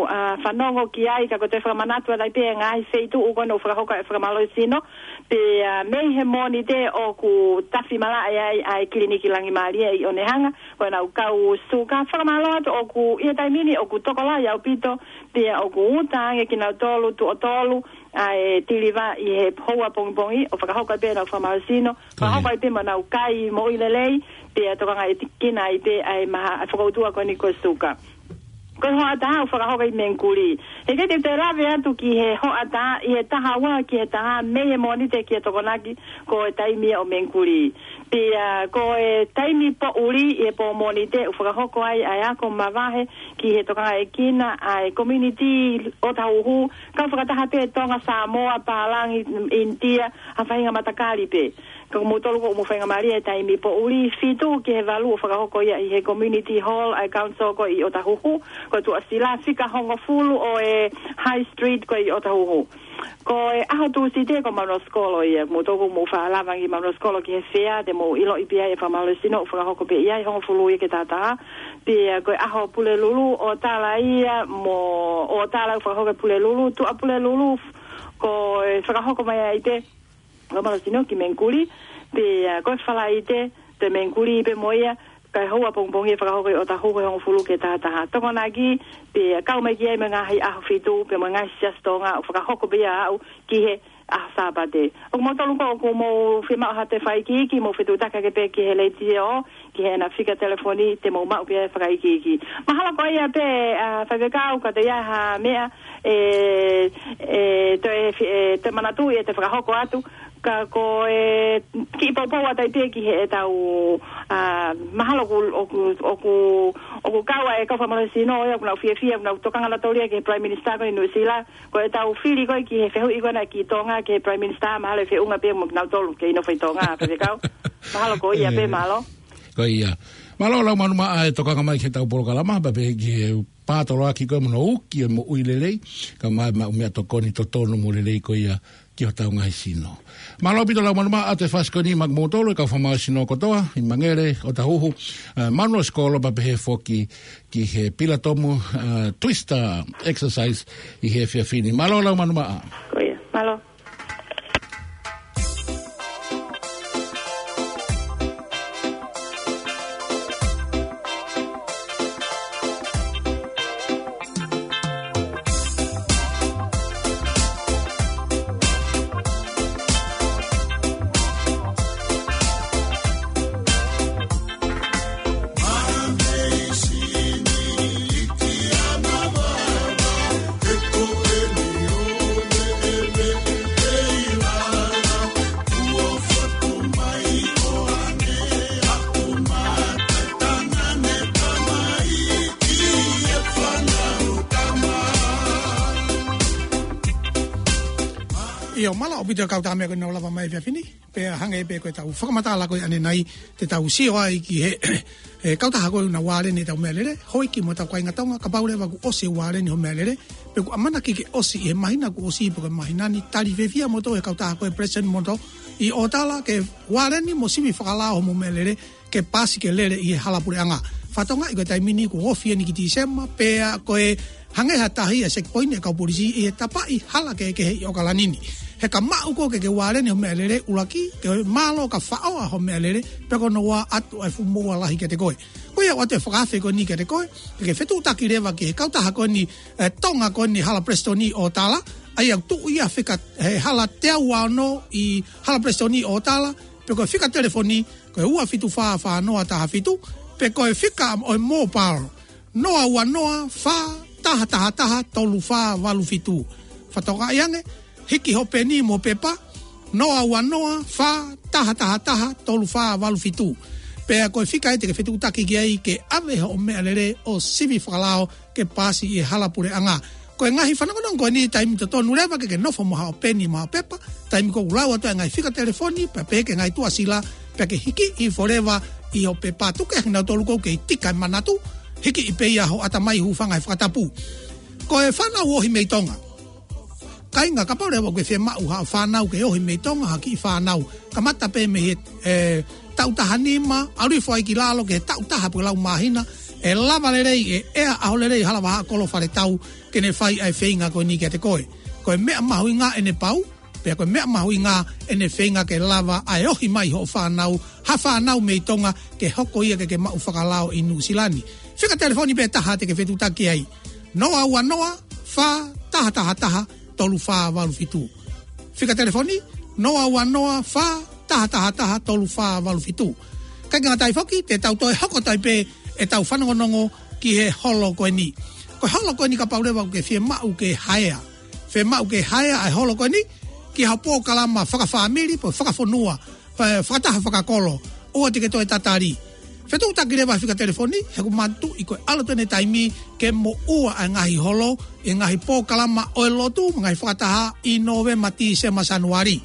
ʻa, fanongo ki ai, ka ko e toe fakamanatu atu ai pē ngaahi feituʻu ko ena ʻoku fakahoko e fakamālohisino, pea mei he Mōnite ʻoku tafi malaʻe ai ʻa e kiliniki Langimālie ʻi ʻOnehunga, ko ʻenau kau suka. Fakamālō atu ʻoku ʻi he taimi ni ʻoku tokolahi ʻaupito, pea ʻoku uta ange kinautolu tuʻo tolu ʻa e tiliva ʻi he houa pongipongi ʻo fakahoko ai pē ʻenau fakamālohisino, fakahoko ai pē mo ʻenau kai moʻui lelei, pea tokangaʻi kinautolu ai pē ʻa e maha, ʻa e fokoutua ko eni ko e suka. Ko e hoʻatā ʻoku fakahoko ʻi Mengikuli. He ʻikai te u toe lave atu ki he hoʻatā, ʻi he taha ua ki he taha mei he Mōnite ki he Tokonaki, ko e taimi ia ʻo Mengikuli. Pea ko e taimi poʻuli ʻi he pō Mōnite ʻoku fakahoko ai ʻa e ako mavahe ki he tokangaʻi kinautolu ʻa e community ʻOtahuhu, kau fakataha pē Tonga, Samoa, Pālangi, ʻInitia, ha faʻahinga matakali pē. Ka ko moutolu ʻoku mou faingamālie he taimi poʻuli, fitu ki he valu ʻoku fakahoko ia ʻi he community hall ʻa e council ko ē ʻi ʻOtahuhu, ko e tuʻasila fika hongofulu ʻo e High Street ko ē ʻi ʻOtahuhu. Ko e ʻaho Tūsite ko Manuasikolo ia, moutolu ʻoku mou faʻa lava ange ki Manuasikolo ki he fea, te mou ʻiloʻi pē ʻa e fakamālohisino ʻoku fakahoko pē ia ʻi he hongofulu ia ki he taha taha. Pea ko e ʻaho Pulelulu ʻo Tala ia mo ʻo Tala ʻoku fakahoko ʻi Pulelulu, Tuʻapulelulu, ko e fakahoko mai ai pē fakamālohisino ki Mengikuli, pea ko e Falaite, toe Mengikuli pē mo ia, kae houa pongipongi ʻe fakahoko ʻi ʻOtahuhu he hongofulu ki he taha taha. Tokonaki, pea kau mai ki ai mo e ngaahi ʻaho fitu, pea mo e ngaahi siasi Tonga, ʻoku fakahoko pē ia ʻo aʻu ki he ʻaho Sāpate. ʻOku moutolu ko ē ʻoku mou fiemaʻu ha toe fakaikiiki, mou fetuʻutaki hake pē ki he leitiō, ki heʻena fika telefoni, te mou maʻu pē ʻa e fakaikiiki. Mahalo ko ia pē, ʻa, Faifekau, ka toe ʻi ai ha meʻa, ʻe, ʻe, toe, ʻe, toe manatuʻi ʻe toe fakahoko atu, ka ko e kiʻi poupou atu ai pē ki heʻetau, ʻa, mahalo ʻoku, ʻoku, ʻoku, ʻoku kau ʻa e kau fakamālohisino, ʻoku nau fiefia, ʻoku nau tokanga nautolu ia ki he Prime Minister ko ē ʻi Nuʻusila, ko ʻetau fili ko ē ki he fehuʻi ko ena ki Tonga, ki he Prime Minister, mahalo ʻe feʻunga pē mo kinautolu kei nofo ʻi Tonga, Faifekau. Mahalo ko ia pē, mālō. Ko ia. Mālō Laumanu Maʻa e tokanga mai ki heʻetau polokalama, pea pehē ki he pātoloaki ko ē mo hono uki e moʻui lelei, kae ʻumaʻā e maʻu meʻatokoni totonu mo lelei ko ia ki hotau ngaahi sino. Mālō ʻaupito Laumanu Maʻa, ʻoatu e fasi ko eni maʻa kimoutolu e kau fakamālohisino kotoa, ʻi Mangele, ʻOtahuhu, ʻa, Manuasikolo pea pehē foki ki he pilatomu, ʻa, Twister Exercise ʻi he efiafi ni. Mālō Laumanu Maʻa. Ko ia, mālō. ʻIo, mālō ʻaupito e kau tama ko ē naʻa nau lava mai he efiafi ni. Pea hangē pē ko ʻetau fakamatala ko ē ʻanenai, te tau sio ai ki he, he kautaha ko ē ʻoku na ualeni ʻetau meʻalele, houʻeiki mo ʻetau kāinga Tonga, kapau leva kuo ʻosi e ualeni hoʻo meʻalele, pe ʻoku ʻamanaki ke ʻosi ʻi he māhina kuo ʻosi pe ko e māhina ni, tali fiefia kimoutolu he kautaha ko ē President Motor ʻi ʻOtala ke ualeni mo sivi fakalao hoʻomo meʻalele, ke paasi ke lele ʻi he hala puleʻanga. Fakatokangaʻi ko e taimi ni kuo ofi eni ki Tīsema, pea ko e hangē ha tahi e checkpoint ʻa e kau polisi ʻi he tapaʻi hala kehekehe ʻi ʻOkalani ni. He ka maʻu koe ke ke ualeni hoʻo meʻalele, ʻuluaki, ke mālō ka faʻoa hoʻo meʻalele, pea ko hono ua, ʻoatu ʻa e fuʻu moʻua lahi kiate koe. Ko ia ʻoku ʻoatu e fakaafe ko eni kiate koe, ke ke fetuʻutaki leva ki he kautaha ko eni, e, Tonga ko eni Hala Prestoni ʻi ʻOtala, ʻa ia ʻoku tuʻu ia fika, he hala teau ua ono ʻi Hala Prestoni ʻi ʻOtala, pe ko e fika telefoni, ko e ua fitu fā fā noa taha fitu, pe ko e fika ʻo e mobile, noa ua noa fā taha taha taha tolu fā valu fitu. Fakatokangaʻi ange, hiki hoʻo peni mo e pepa, noa ua noa fā taha taha taha tolu fā valu fitu. Pea ko e fika ia te ke fetuʻutaki ki ai ke ʻave hoʻo meʻalele ʻo sivi fakalao ke paasi ʻi he hala puleʻanga. Ko e ngaahi fanongonongo ko eni, taimi totonu leva ke ke nofo mo haʻo peni mo haʻo pepa, taimi ko ē ʻoku lau atu e ngaahi fika telefoni, pea pehē ki he ngaahi tuʻasila, pea ke hiki hifo leva ʻi hoʻo pepa. Tuku ke ʻaonga kinautolu ʻoku kei tika e manatu, hiki pē ia ho ʻatamai, hūfanga he fakatapu. Ko e fānau ohi mei Tonga. Kāinga, kapau leva ʻoku ke fiemaʻu haʻo fānau ke ohi mei Tonga, ha kiʻi fānau, kamata pē mei he, e, taʻu taha nima, ʻalu hifo ai ki lalo ki he taʻu taha pe ko e lau māhina, ʻe lava lelei, ʻe ʻea ʻaho lelei hala vahaʻa kolo fale tau, ke ne fai ʻa e feinga ko eni kiate koe. Ko e meʻa mahuʻinga ʻene pau, pea ko e meʻa mahuʻinga ʻene feinga ke lava ʻa e ohi mai hoʻo fānau, ha fānau mei Tonga, ke hoko ia ke ke maʻu fakalao ʻi Nuʻusila ni. Fika telefoni pē taha te ke fetuʻutaki ai. Noa ua noa fā taha taha taha tolu fā valu fitu. Fika telefoni, noa ua noa fā taha taha taha tolu fā valu fitu. Kae ʻikai ngata ai foki, te tau toe hoko atu ai pē ʻetau fanongonongo ki he holo ko eni. Ko e holo ko eni, kapau leva ʻoku ke fiemaʻu ke haea, fiemaʻu ke haea ʻa e holo ko eni ki ha polokalama fakafāmili, pe fakafonua, pe fakataha fakakolo, ʻoua te ke toe tatali. Fetuʻutaki leva he fika telefoni, he ʻoku mātuʻaki ko e ʻalu atu eni e taimi ke moʻua ʻa e ngaahi holo ʻi he ngaahi polokalama ʻo e lotu mo e ngaahi fakataha ʻi Nōvema, Tīsema, Sānuali.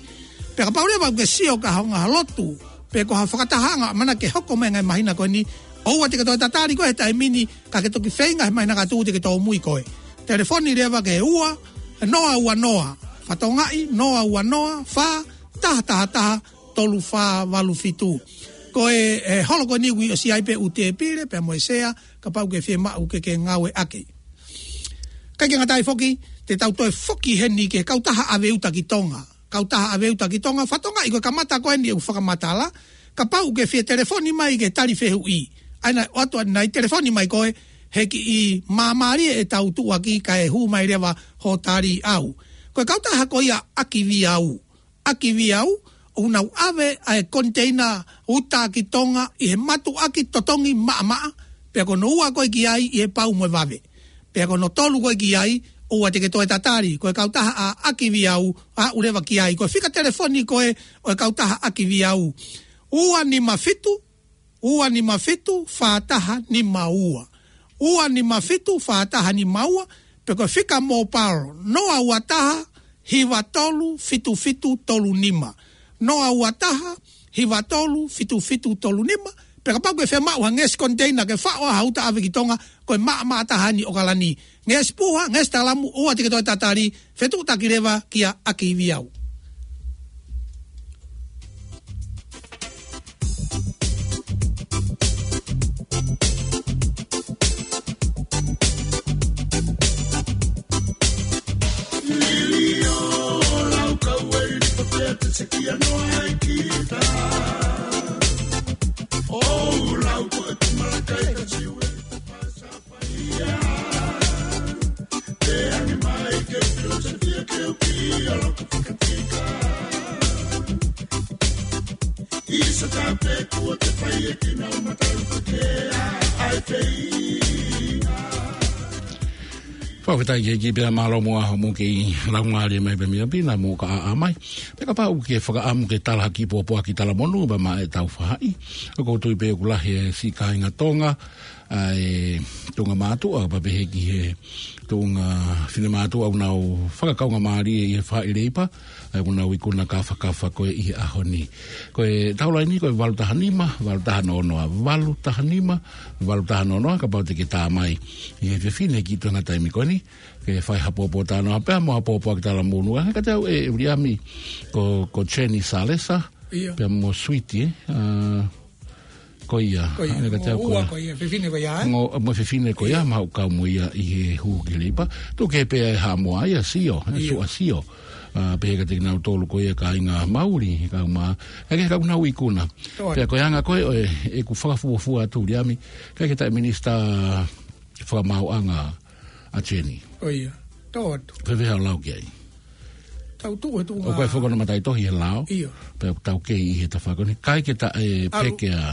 Pea kapau leva ʻoku ke sio ki ha ngaahi lotu, pe ko ha fakatahaʻanga ʻoku ʻamanaki ke hoko mai he ngaahi māhina ko eni, ʻoua te ke toe tatali koe he taimi ni, ka ke toki feinga he māhina ka tuʻu te ke tōmui koe. Telefoni leva ki he ua, noa ua noa, fakatokangaʻi, noa ua noa fā taha taha taha tolu fā valu fitu. Ko e, e holo ko eni ʻoku ʻosi ʻi ai pē ʻū tēpile pea mo e sea, kapau ʻoku ke fiemaʻu ke ke ngāueʻaki. Kae ʻikai ngata ai foki, te tau toe foki heni ki he kautaha ʻAveuta ki Tonga. Kautaha ʻAveuta ki Tonga, fakatokangaʻi ko e kamata ko eni ʻeku fakamatala, kapau ʻoku ke fie telefoni mai ke tali fehuʻi, ʻa ia naʻe ʻoatu ʻanenai, telefoni mai koe, he kiʻi māmālie ʻetau tuʻuaki kae hū mai leva hoʻo tali ʻau. Ko e kautaha ko ia ʻAkiviau. ʻAkiviau, ʻoku nau ʻave ʻa e koniteina uta ki Tonga ʻi he mātuʻaki totongi maʻamaʻa, pea ko hono ua ko ē ki ai ʻi he pau mo e vave. Pea ko hono tolu ko ē ki ai, ʻoua te ke toe tatali, ko e kautaha ʻa ʻAkiviau, aʻu leva ki ai. Ko e fika telefoni ko ē ʻo e kautaha ʻAkiviau, ua nima fitu, ua nima fitu fā taha nima ua. Ua nima fitu fā taha nima ua, pe ko e fika mobile, noa ua taha hiva tolu fitu fitu tolu nima. Noa ua taha hiva tolu fitu fitu tolu nima, pea kapau ʻoku ke fiemaʻu ha ngeʻesi koniteina ke faʻo ha uta ʻave ki Tonga, ko e maʻamaʻa taha eni ʻOkalani. Ngeʻesi puha, ngeʻesi talamu, ʻoua te ke toe tatali, fetuʻutaki leva kia ʻAkiviau. Fakafetaʻi ki he ʻEiki pea mālō muʻa hoʻomou kei laumālie mai pē mei ʻapi, naʻa mou ka ʻaʻa mai. Pea kapau ʻoku ke fakaʻamu ke tala ha kiʻi pōpoaki talamonū pea maʻa ʻetau faʻahi, ʻoku ou tui pē ʻoku lahi e siʻi kāinga Tonga ʻa e tuʻunga mātuʻa, pea pehē ki he tuʻunga finemātuʻa ʻoku nau fakakaungāmālie ʻi he faʻahi leipa, ʻa ia ʻoku nau ikuna kāfakafa ko ē ʻi he ʻaho ni. Ko e tau laini ko e valu taha nima, valu taha noa noa, valu taha nima, valu taha noa noa, kapau te ke tā mai ʻi he efiafi ni ki he tuʻunga taimi ko eni, ke fai ha pōpōtalanoa pea mo ha pōpoaki talamonū. ʻA ia kiate au ʻe, ʻe Viliami, ko, ko Jenny Salesa, ʻIo. pea mo Sweetie, ē? ʻA, ko ia. Ko ia. ʻA ia kiate au Mo ko ua ia. ko ia, fefine ko ia, ē? Mo, mo fefine ko ia, ʻIo. mau kau mo ia ʻi he hū ki he leipa. Tuku kehe pē ʻe Haʻamoa ia, sio, ʻe ʻIo. Suʻa sio. ʻA, pehē kiate kinautolu ko ia kāinga Mauli, kau mā, ʻa ia ke kau nau ikuna. Tō atu. Pea ko e anga ko ē, ʻo e, ʻeku fakafuofua atu Viliami, ʻikai ke taʻe minisitā fakamaauʻanga ʻa Jenny. Ko ia. Tō atu. Ko e hā hoʻo lau ki ai? Tau tuʻu he tuʻunga ʻOku ʻi ai foki hono mataʻitohi he lao. ʻIo. Pea tau kei ʻi he tafaʻaki ko eni. ʻIkai ke taʻe ʻAlu. peke ʻa,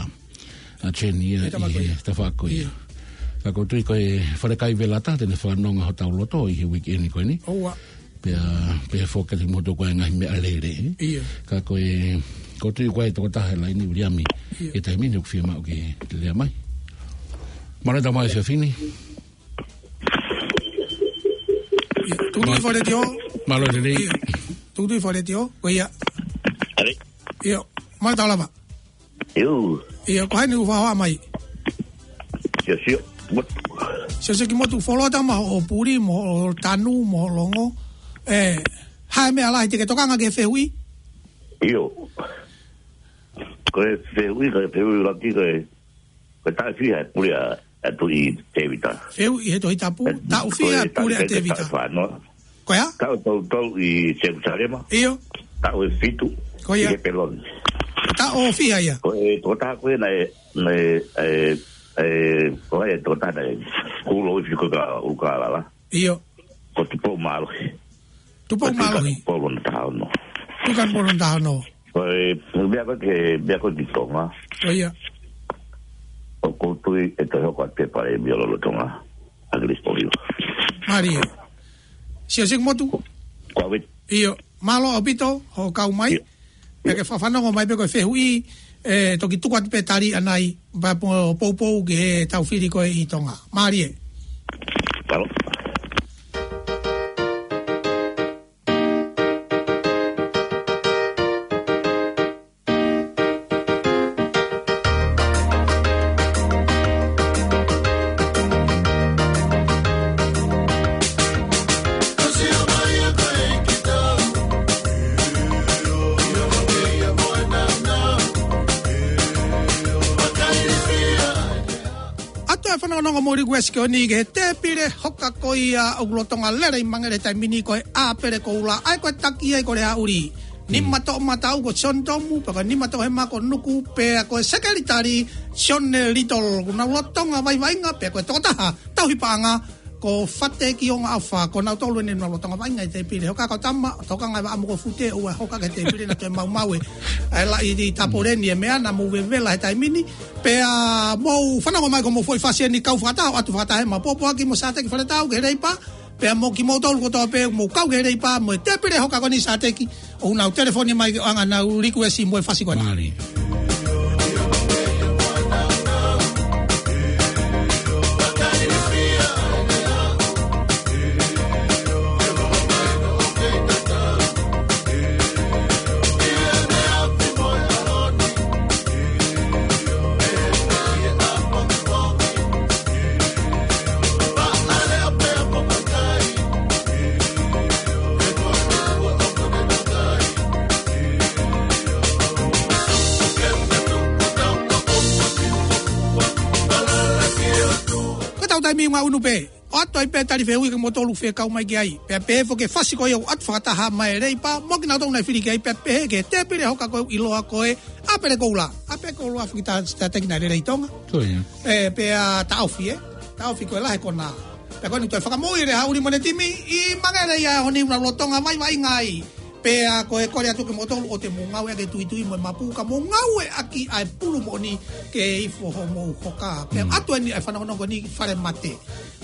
ʻa Jenny ia He tafaʻaki ʻi he ko ia. tafaʻaki ko ia. ʻIo. Ka ʻoku ou tui ko e falekai velata te ne fanongo hotau loto ʻi he uike ni ko eni. ʻOua. Pea, pea foki atu mo toko e ngaahi meʻalele, ē? ʻIo. Ka ko e, ʻoku ou tui ko e tokotaha he laini Viliami. ʻIo. ʻI he taimi ni ʻoku fiemaʻu ke lea mai. Mālō e tau mai efiafi ni. ʻIo. Tukutuku Mā-, Fale Tio. Mālō e lelei. ʻIo. Tukutuku Fale Tio. Ko ia. ʻAle. ʻIo. Mālō e tau lava. ʻIo. ʻIo, ko hai ʻoku fakahoa mai? Sio, sio. Mot- Sio, sio ki motu folo tama hoʻo puli, mo hoʻo tanu, mo hoʻo longo. ʻE, hā e meʻa lahi te ke tokanga ki he fehuʻi? ʻIo. Ko e fehuʻi, ko e fehuʻi ʻuluaki ko e, ko e taʻu ʻe fiha e pule ʻa, ʻa Tuʻi Tēvita. Fehuʻi he Tohi Tapu, E, taʻu ʻe fiha ko e e pule ʻa taʻu, Tēvita. taʻu ʻe fā noa. Ko ia? Taʻu ʻe tolu tolu ʻi Selusalema. ʻIo. Taʻu ʻe fitu Ko ia. ʻi Hepeloni. Taʻu ʻe fiha ia? Ko e tokotaha ko ē naʻe, naʻe, ʻe, ʻe, ko e tokotaha naʻe kulo i fiko ka, uka lala. ʻIo. Ko Tupou Mālohi. Tupou Ko Tuʻi Mālohi. Kanokupolu hono taha ono. Tuʻi Kanokupolu hono taha ono. Ko e, meʻa ko ē ke, meʻa ko ē ki Tonga. Ko ia. ʻOku ou tui ʻe toe hoko atu e palēmia lolotonga ʻAkilisi Polio. Mālie. Sio, sio ki motu. Ko au ē. ʻIo, mālō ʻaupito hoʻo kau mai. ʻIo. Pea ke fakafanongo mai pē ko e fehuʻi, ʻe toki tuku atu pē tali ʻanai, pea po-, poupou ki he tau fili ko ē ʻi Tonga. Mālie. Mālō. ʻOatu e fanongonongo mo e likuesi ko eni ki he tēpile hoka ko ia ʻoku lolotonga lele ʻi Mangere he taimi ni ko e ʻĀpele Koula, ʻa ia ko e taki ai ko Leaʻuli. Nima toʻomataʻu ko Sione Tomu, pea ko e nima toʻohema ko Nuku, pea ko e sekelitali Sione Little, ʻoku nau lolotonga vaʻinga, pea ko e tokotaha tauhi paʻanga ko Fate Kionga ʻAfa, ko nautolu eni ʻoku nau lolotonga vaʻinga ʻi he tēpile hoka. Kau tama, tokanga e vaʻa mo ko Fute, ʻoua hoka ki he tēpile naʻa toe maumau e, ʻa e laʻi tapoleni e meʻa naʻa mou vevela he taimi ni. Pea mou fanongo mai ko hoʻomou foʻi fasi eni kau fakataha, ʻoatu fakataha ʻemau pōpoaki mo Sāteki Faletau ki he Leipa. Pea mo kimoutolu kotoa pē ʻoku mou kau ki he Leipa mo e tēpile hoka ko eni Sāteki, ʻoku nau telefoni mai ke ʻoange ʻenau likuesi mo e fasi ko eni. Mālie. Ko ʻetau taimi ʻoku ngaʻunu pē. ʻOatu ai pē tali fehuʻi kia moutolu fekau mai ki ai. Pea pehē foki e fasi ko ia ʻoku ʻoatu fakataha mai e Leipa mo kinautolu naʻe fili ki ai, pea pehē ki he tēpile hoka ko ē ʻoku ʻiloa ko e ʻĀpele Koula. ʻĀpele Koula foki, tā, Sāteki, naʻe lelei ʻi Tonga. Ko ia. ʻE, pea taʻofi, ē? Taʻofi ko e lahi e konā. Pea ko eni toe fakamoʻui e Leaʻuli mo ʻene timi ʻi Mangere ʻi he ʻaho ni, ʻoku nau lolotonga vaʻinga ai. Pea ko e kole atu kia moutolu ʻoua te mou ngāueʻaki e tuitui mo e mapu, ka mou ngāueʻaki ʻa e pulu moʻoni ke ifo hoʻomou hoka. Pea Mm. ʻoatu eni ʻa e fanongonongo ni ki he fale mate.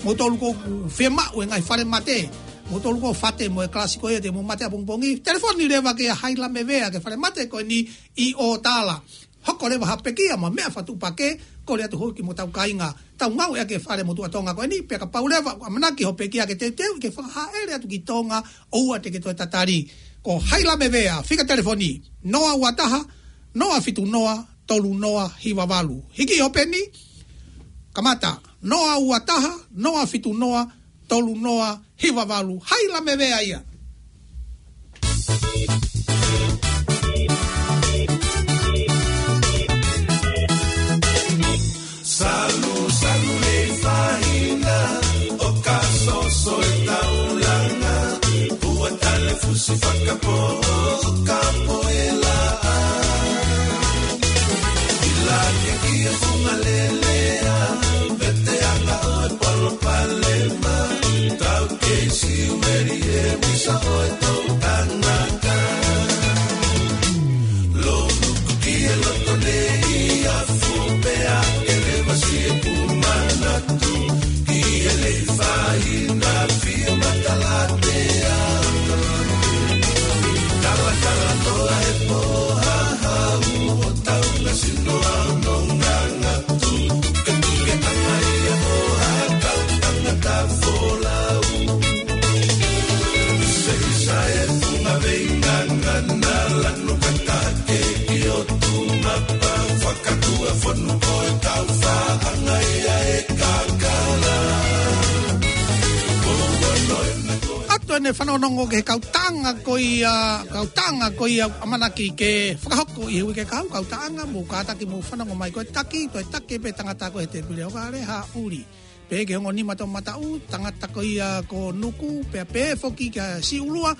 Moutolu ʻoku fiemaʻu e ngaahi fale mate. Moutolu ko Fate mo e kalasi ko ia te mou mate ʻapongipongi. Telefoni leva kia Haila Mevea ki he fale mate ko eni ʻi ʻOtala. Hoko leva ha pekia mo e meʻa fakatuʻupakē, kole atu hou ki mo tau kāinga, tau ngāueʻaki e fale motuʻa Tonga ko eni, pea kapau leva ʻoku ʻamanaki hoʻo pekia ke teuteu, ke fakahaʻele atu ki Tonga, ʻoua te ke toe tatali. Ko Hailame Vea, fika telefoni, noa ua taha, noa fitu noa, tolu noa hiva valu. Hiki hoʻo peni, kamata, noa ua taha, noa fitu noa, tolu noa hiva valu. Hailame Vea ia. Salu, salu lei fahina, ʻo ka soso e taulanga, ua tale fusi fakapō, ka po e laʻā. Ila ke kia funga lelea, pete anga ʻo e palopalema, tau kei siu meli e misa ʻo e tau tangata. Lou nuku ki e loto nei, a fupea ke leva si e kumanatu, ki he lei fahina fia matalatea. Talatala toa e pō hahau, ʻo taunga sino au no nganga tu, ke tuke anga ia ʻo hakau tangata folau. Seisa e funga veinga ngana lanu katake ki o tu mapa, fakatua fonu ko e kau faʻanga ia e kakala. Atu ʻene fanongonongo ki he kau taʻanga ko ia, kau taʻanga ko ia ʻamanaki ke fakahoko ʻi he uike kahaʻu, kau taʻanga, mou kātaki mou fanongo mai ko e taki, toe taki pē tangata ko e he tēpile ʻo Kale Haʻuli. Pehē ki he ongo nima toʻomataʻu, tangata ko ia ko Nuku, pea pehē foki kia Siulua,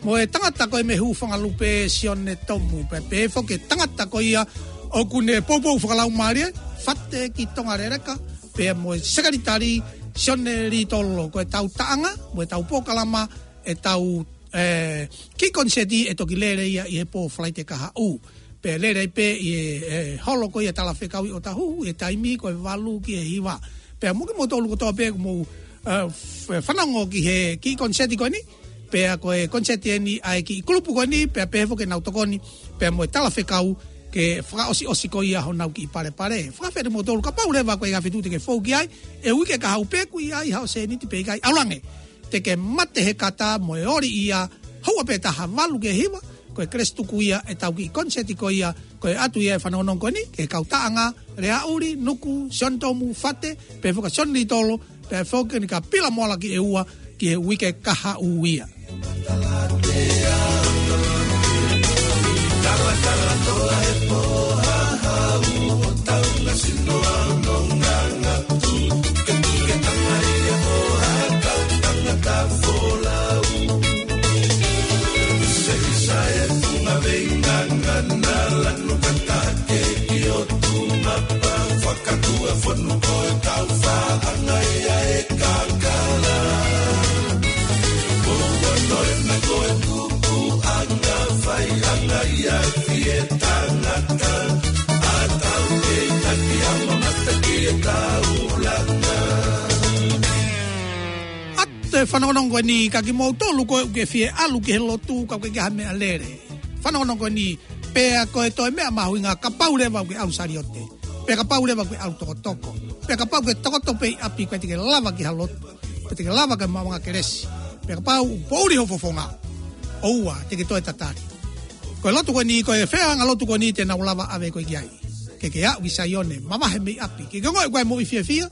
mo e tangata ko e mei Hūfangalupe Sione Tomu, pea pehē foki tangata ko ia ʻoku ne poupou fakalaumālie, Fate ki Tonga Leleka, pea mo e sekelitali Sione Litolo, ko e tau taʻanga, mo e tau polokalama, e tau, e, kiʻi koniseti ʻe toki lele ia ʻi he pō Falaite kahaʻu. Pea lele ai pē ʻi he, e, holo ko ia Talafekau ʻi ʻOtahuhu, ʻi he taimi ko e valu ki he hiva. Pea mo kimoutolu kotoa pē ʻoku mou, e, f-, fanongo ki he kiʻi koniseti ko eni, pea ko e koniseti eni ʻa e kiʻi kulupu ko eni, pea pehē foki ʻenau tokoni, pea mo e Talafekau ke fakaʻosiʻosi ko ia honau kiʻi palepale. Fakafeʻiloaki kimoutolu kapau leva ko e ʻikai ha feituʻu te ke fou ki ai, ʻi he uike kahaʻu pe ʻoku ʻi ai haʻo sēniti pe ʻikai, ʻalu ange. Te ke mate he kata mo e oli ia, houa pē taha valu ki he hiva, ko e kelesi tuku ia ʻetau kiʻi koniseti ko ia, ko e ʻatu ia e fanongonongo ko eni, ki he kau taʻanga, Lea ʻUli, Nuku, Sione Tomu, Fate, pehē foki Sione Litolo, pehē foki ni ka pila moala ki he ua, ki he uike kahaʻu ia. ʻAtu e fanongonongo ko eni, ka kimoutolu ko ē ʻoku ke fie ʻalu ki he lotu, ka ʻoku ʻikai ke ʻi ai ha meʻalele. Fanongonongo ko eni, pea ko e toe meʻa mahuʻinga kapau leva ʻoku ke ʻalu saliote. Pea kapau leva ʻoku ke ʻalu tokotoko. Pea kapau ʻoku ke tokoto pē ʻi ʻapi, ʻoku ʻikai te ke lava ki ha lotu. ʻOku ʻikai te ke lava ki he maʻuʻanga kelesi. Pea kapau ʻoku poʻuli ho fofonga, ʻoua te ke toe tatali. Ko e lotu ko eni, ko e feʻauhiʻanga lotu ko eni te nau lava ʻave koe ki ai. Ke ke aʻu ki Saione, mavahe mei ʻapi. Ke ke ongoʻi ko e moʻui fiefia,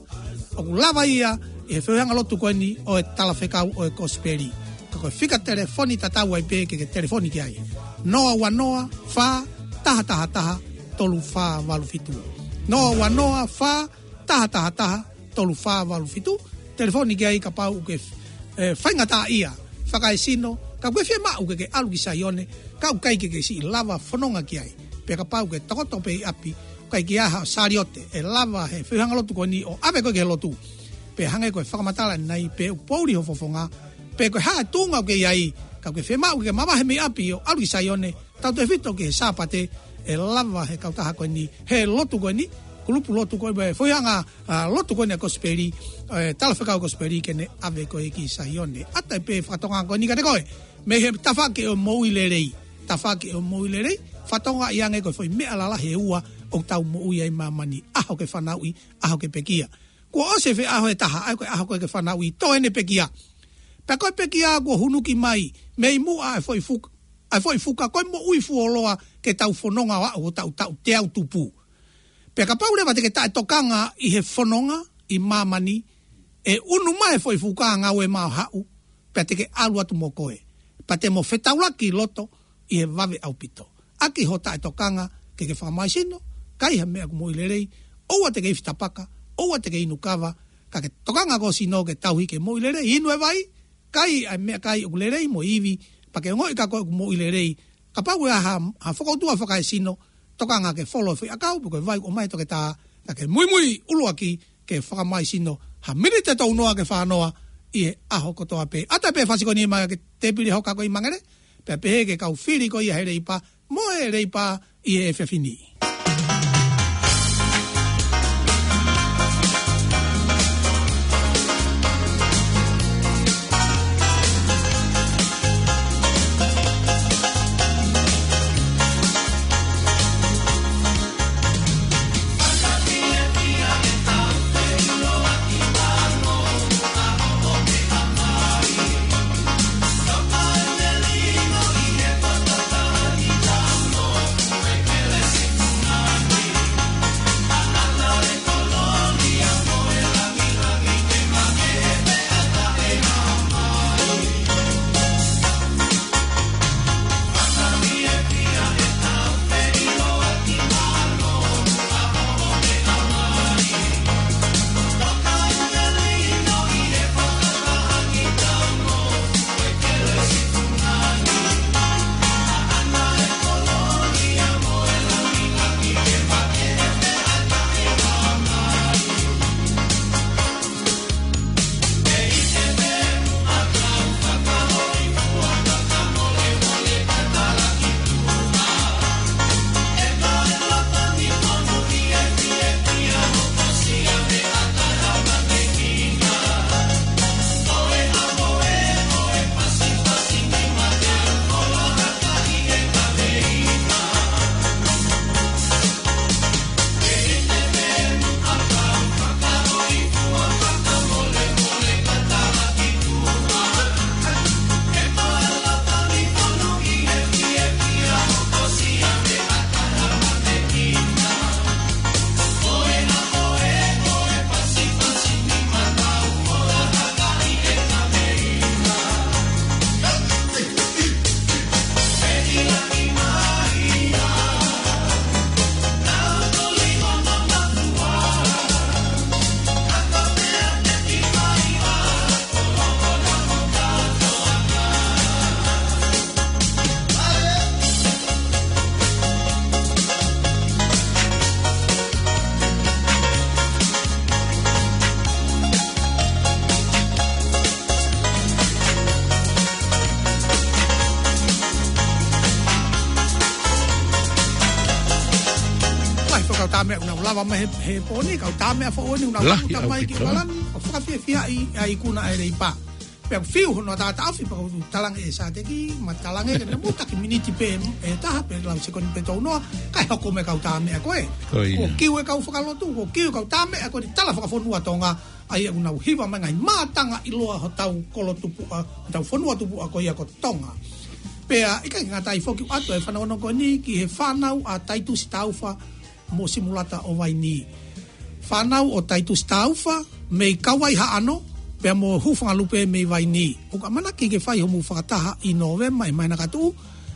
ʻoku lava ia ʻi he feʻauhiʻanga lotu ko eni ʻo e Talafekau ʻo e Kosipeli. Ka ko e fika telefoni tatau ai pē ke ke telefoni ki ai. Noa ua noa fā taha taha taha tolu fā valu fitu. Noa ua noa fā taha taha taha tolu fā valu fitu. Telefoni ki ai kapau ʻoku ke, e, faingataʻaʻia, fakaesino, ka ʻoku ke fiemaʻu ke ke ʻalu ki Saione, ka ʻoku ʻikai ke ke siʻi lava fononga ki ai. Pea kapau ʻoku ke tokoto pē ʻi ʻapi, ʻoku ʻikai ke ʻi ai haʻo saliote ʻe lava he feʻauhiʻanga lotu ko eni ʻo ʻave koe ki he lotu. Pea hangē ko e fakamatala ʻanenai, pe ʻoku poʻuli ho fofonga, pe ko e hā e tuʻunga ʻoku ke ʻi ai, ka ʻoku ke fiemaʻu ke ke mavahe mei ʻapi ʻo ʻalu ki Saione, tautefito ki he Sāpate, ʻe lava he kautaha ko eni, he lotu ko eni, kulupu lotu ko eni, feʻauhiʻanga, a, lotu ko eni ʻa e Kosipeli, e, Talafekau Kosipeli ke ne ʻave koe ki Saione. ʻAtu ai pē fakatokanga ko eni kiate koe, mei he tafaʻaki ʻo e moʻui lelei. Tafaʻaki ʻo e moʻui lelei, fakatokangaʻi ange ko e foʻi meʻa lalahi ʻe ua, ʻoku tau moʻui ai ʻi māmani, ʻaho ke fanauʻi, ʻaho ke pekia. Kuo ʻosi e feʻaho ʻe taha, ʻa ia ko e ʻaho ko ē ke fanauʻi, tō ʻene pekia. Pea ko e pekia kuo hunuki mai mei muʻa ʻa e foʻi fuka, ʻa e foʻi fuka, ko e moʻui fuoloa ke tau fononga ʻo aʻu ki he taʻu, taʻu teau tupu. Pea kapau leva te ke taʻetokanga ʻi he fononga ʻi māmani, ʻe unu mai e foʻi fuka ʻa Ngāue Maʻu Haʻu, pea te ke ʻalu atu mo koe. Pea te mo fetaulaki loto ʻi he vave ʻaupito. ʻAki hoʻo taʻetokanga ke ke fakamaisino, kai ha meʻa ʻoku moʻui lelei, ʻoua te ke ifi tapaka, ʻoua te ke inu kava, ka ke tokanga ki ho sino ke tauhi ke moʻui lelei, inu e vai, kai ʻa e meʻakai ʻoku lelei mo ivi, pea ke ongoʻi ka ko e ʻoku moʻui lelei. Kapau ʻe ʻi ai ha, ha fokoutua fakaesino, tokanga ke folo e foʻi ʻakau, pe ko e vai ʻoku ʻomai ʻe he toketā, ka ke muimui ʻuluaki ke fakamaisino ha miniti ʻe tolu noa ki he fā noa ʻi he ʻaho kotoa pē. ʻAtā pē fasi ko eni mai ki he tēpile hoka ko ē ʻi Mangere, pea pehē ki he kau fili ko ia he Leipa, mo e Leipa ʻi he efiafi ni. Lahi e kau tāmeʻa ʻoku nau lava mai he, he pō ni, kau tāmeʻa foʻou eni ʻoku nau lahi ʻaupito mai ki ʻaupito. Palani, ʻo fakafiefiaʻi ʻa e ikuna ʻa e Leipa. Pea ʻoku fiu hono taʻataʻofi pea ʻoku talaange ʻe Sāteki, mo talaange ke ne mutaki miniti pē ʻe taha pe lau sekoni pē tolu noa, kae hoko mai e kau tāmeʻa ko ē. Ko ia. Kuo kiu e kau fakalotu, kuo kiu e kau tāmeʻa ko eni, tala fakafonua Tonga, ʻa ia ʻoku nau hiva mai e ngaahi mātanga ʻiloa hotau kolo tupuʻa, hotau fonua tupuʻa ko ia ko Tonga. Pea ʻikai ke ngata ai foki, ʻoatu e fanongonongo ko eni ki he fānau ʻa Taitusi Taufa mo Simulata ʻo Vainī. Fānau ʻo Taitusi Taufa mei Kauaihaʻano, pea mo Hūfangalupe mei Vainī. ʻOku ʻamanaki ke fai homou fakataha ʻi Nōvema ʻi he māhina ka tuʻu,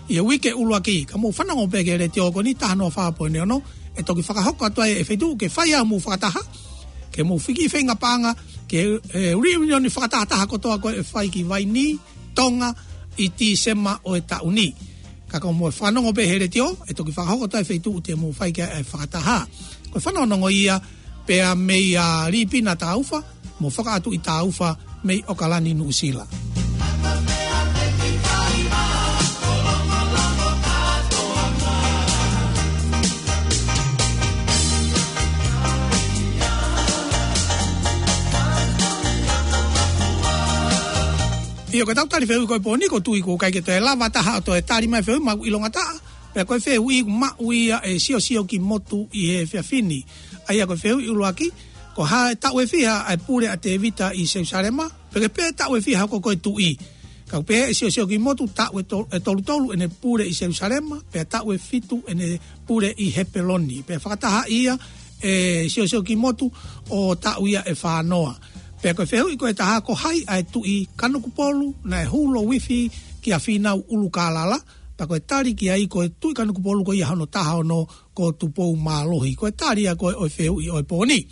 ʻi he uike ʻuluaki. Ka mou fanongo pē ki he letiō ko eni, taha noa fā poini ono, ʻe toki fakahoko atu ai e feituʻu ke fai ai homou fakataha, ke mou fiki feinga paʻanga ki he, e, reunion fakatahataha kotoa ko ē ʻe fai ki Vainī, Tonga, ʻi Tīsema ʻo e taʻu ni. Ka ko hoʻomou fanongo pē he letiō, ʻe toki fakahoko atu e feituʻu te mou fai ki ai e fakataha. Ko e fanongonongo ia pea mei a Lipina Taufa mo Fakaʻatuʻi Taufa mei ʻOkalani, Nuʻusila. ʻIo, ko ʻetau tali fehuʻi ko ē he pō ni, ʻoku ou tui ʻoku ʻikai ke toe lava ha taha ʻo toe tali mai e fehuʻi, mau ʻilonga taʻa Pea ko e fehuʻi ʻoku maʻu ia ʻe Siosio Kimotu ʻi he efiafi ni. ʻA ia ko e fehuʻi ʻuluaki, ko e hā e taʻu ʻe fiha ʻa e pule ʻa Tēvita ʻi Selusalema, pea ko e hā pē taʻu ʻe fiha hoko ko e tuʻi. Ka ʻoku pehē ʻe Siosio Kimotu, taʻu ʻe to-, ʻe tolu tolu ʻene pule ʻi Selusalema, pea taʻu ʻe fitu ʻene pule ʻi Hepeloni. Pea fakatahaʻi ia ʻe Siosio Kimotu ʻo taʻu ia ʻe fā noa. Pea ko e fehuʻi ko ē ʻe taha, ko hai ʻa e Tuʻi Kanokupolu naʻe hū louifi kia Fīnau ʻUlukālala, pea ko e tali ki ai ko e Tuʻi Kanokupolu ko ia hono taha ono ko Tupoumālohi. Ko e tali ia ko ē ʻo e fehuʻi ʻo e pō ni.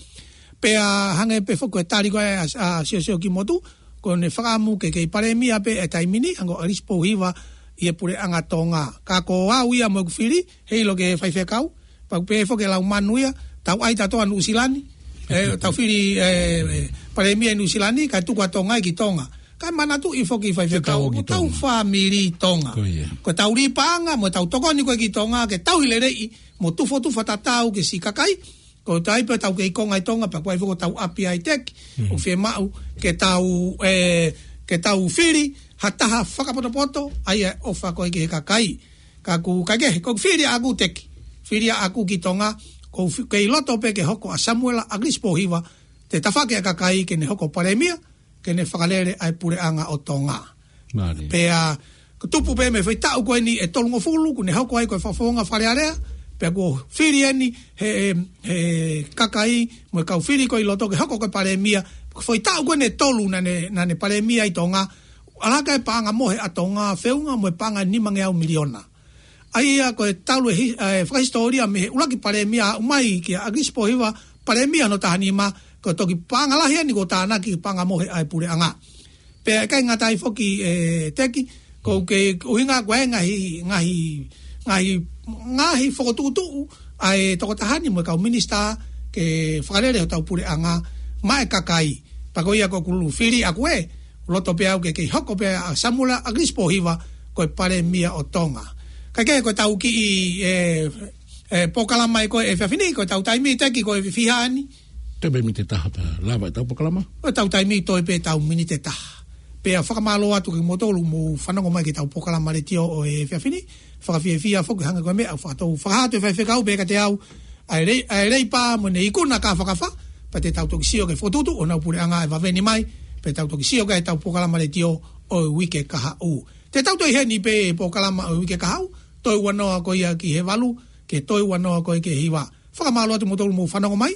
Pea hangē pē foki ko e tali ko ē ʻa, ʻa Siosio Kimotu, ko ʻene fakaʻamu ke kei palēmia pē ʻi he taimi ni, hangē ko ʻAlisi Pōhiva ʻi he puleʻanga Tonga. Ka ko au ia mo ʻeku fili, heiʻilo ke faifekau, pea ʻoku pehē foki ʻe Laumanu ia, tau ʻai tautolu ʻa Nuʻusila ni, ē, tau fili, ē, ē, palēmia ʻi Nuʻusila ni, kae tuku ʻa Tonga ia ki Tonga. Kae manatuʻi foki faifekau, Ke tau ki ko ʻetau Tonga. Fāmili Tonga. Ko ia. Ko ʻetau lī paʻanga, mo ʻetau tokoni ko ē ki Tonga, ke tauhi leleiʻi, mo tufotufa tatau ki he siʻi kakai, ko e taimi pē ʻoku tau kei konga ʻi Tonga, pea ko e foki ʻoku tau ʻapi ai Teki, Mm. ʻoku fiemaʻu ke tau, ē, ke tau fili ha taha fakapotopoto, ʻa ia ʻe ʻofa ko ē ki he kakai. Ka ʻoku, ka ke, ko e fili ʻaʻaku Teki, fili ʻaʻaku ki Tonga, ʻoku fi-, kei loto pē ke hoko ʻa Samuela ʻAlisi Pōhiva, te tafaki ʻa e kakai ke ne hoko palēmia, ke ne fakalele ʻa e puleʻanga ʻo Tonga. Mālie. Pea, ko e tupu pē mei he foʻi taʻu ko eni ʻe tolungofulu, kuo ne hoko ai ko e fakafofonga Fale Alea, pea kuo fili eni he, he, he kakai, mo e kau fili ko ē ʻi loto ke hoko ko e palēmia, ko e foʻi taʻu ko eni ʻe tolu naʻa ne, naʻa ne palēmia ʻi Tonga, ʻalu hake e paʻanga mohe ʻa Tonga, feʻunga mo e paʻanga ʻe nimangeau miliona. ʻA ia ko e talu e hi-, ē, fakahisitōlia mei he ʻuluaki palēmia aʻu mai kia ʻAlisi Pōhiva, palēmia hono taha nima, ko e toki paʻanga lahi eni kuo tānaki paʻanga mohe ʻa e puleʻanga. Pea ʻikai ngata ai foki ē Teki, ko e ʻuhinga ko e ngaahi, ngaahi, ngaahi, ngaahi fokotuʻutuʻu ʻa e tokotaha ni mo e kau minisitā ke fakalele hotau puleʻanga maʻa e kakai. Pea ko ia ko ʻeku fili ʻaʻaku ē, loto pē au ke kei hoko pē ʻa Samuela ʻAlisi Pōhiva ko e palēmia ʻo Tonga. Kae kehe ko ʻetau kiʻi, ē, ē, polokalama ē ko ē he efiafi ni, ko ʻetau taimi Teki ko e fiha eni. Toe pē miniti ʻe taha pea lava ʻetau polokalama. Ko ʻetau taimi toe pē ʻetau miniti ʻe taha. Pea fakamālō atu kiate kimoutolu mou fanongo mai ki heʻetau polokalama letiō ʻo e efiafi ni. Fakafiefia foki hangē ko e meʻa ʻoku fakatou fakahā atu ʻe faifekau pē kiate au, ʻa e lei-, ʻa e leipa mo ʻene ikuna kāfakafa, pea te tau toki sio ki he fokotuʻutuʻu ʻo honau puleʻanga ʻe vave ni mai, pea tau toki sio ki heʻetau polokalama letiō ʻo e uike kahaʻu. Te tau toe ʻi heni pē he polokalama ʻo e uike kahaʻu, toe ua noa ko ia ki he valu, ki he toe ua noa ko ia ki he hiva. Fakamālō atu kimoutolu mou fanongo mai,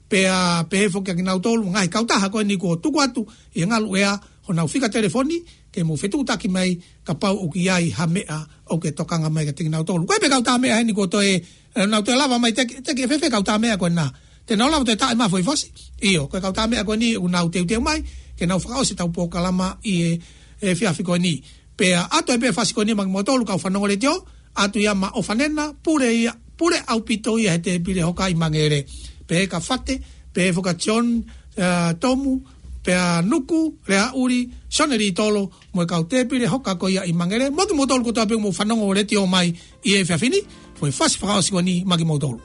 pea pehē foki kiate kinautolu ngaahi kautaha ko eni kuo tuku atu ʻi he ngaluʻea honau fika telefoni, ke mou fetuʻutaki mai kapau ʻoku ʻi ai ha meʻa ʻoku ke tokanga mai kiate kinautolu. Ko e pē kautaha meʻa heni kuo toe, ē, nau toe lava mai Teki, Teki ʻe fēfē kautaha meʻa ko ena. Te nau lava toe taʻe mai ha foʻi fasi. ʻIo, ko e kautaha meʻa ko eni ʻoku nau teuteu mai ke nau fakaʻosi ʻetau polokalama ʻi he, he efiafi ko eni. Pea ʻoatu ai pē fasi ko eni maʻa kimoutolu kau fanongo letiō, ʻoatu ia maʻa ʻOfanena, pule ia, pule ʻaupito ia he tēpile hoka ʻi Mangere. Pehē kia Fate, pehē foki kia John, ē, Tomu, pea Nuku, Leaʻuli, Sione Litolo, mo e kau tēpile hoka ko ia ʻi Mangere. Mo kimoutolu kotoa pē mou fanongo letiō mai ʻi he efiafi ni, foʻi fasi fakaʻosi ko eni maʻa kimoutolu.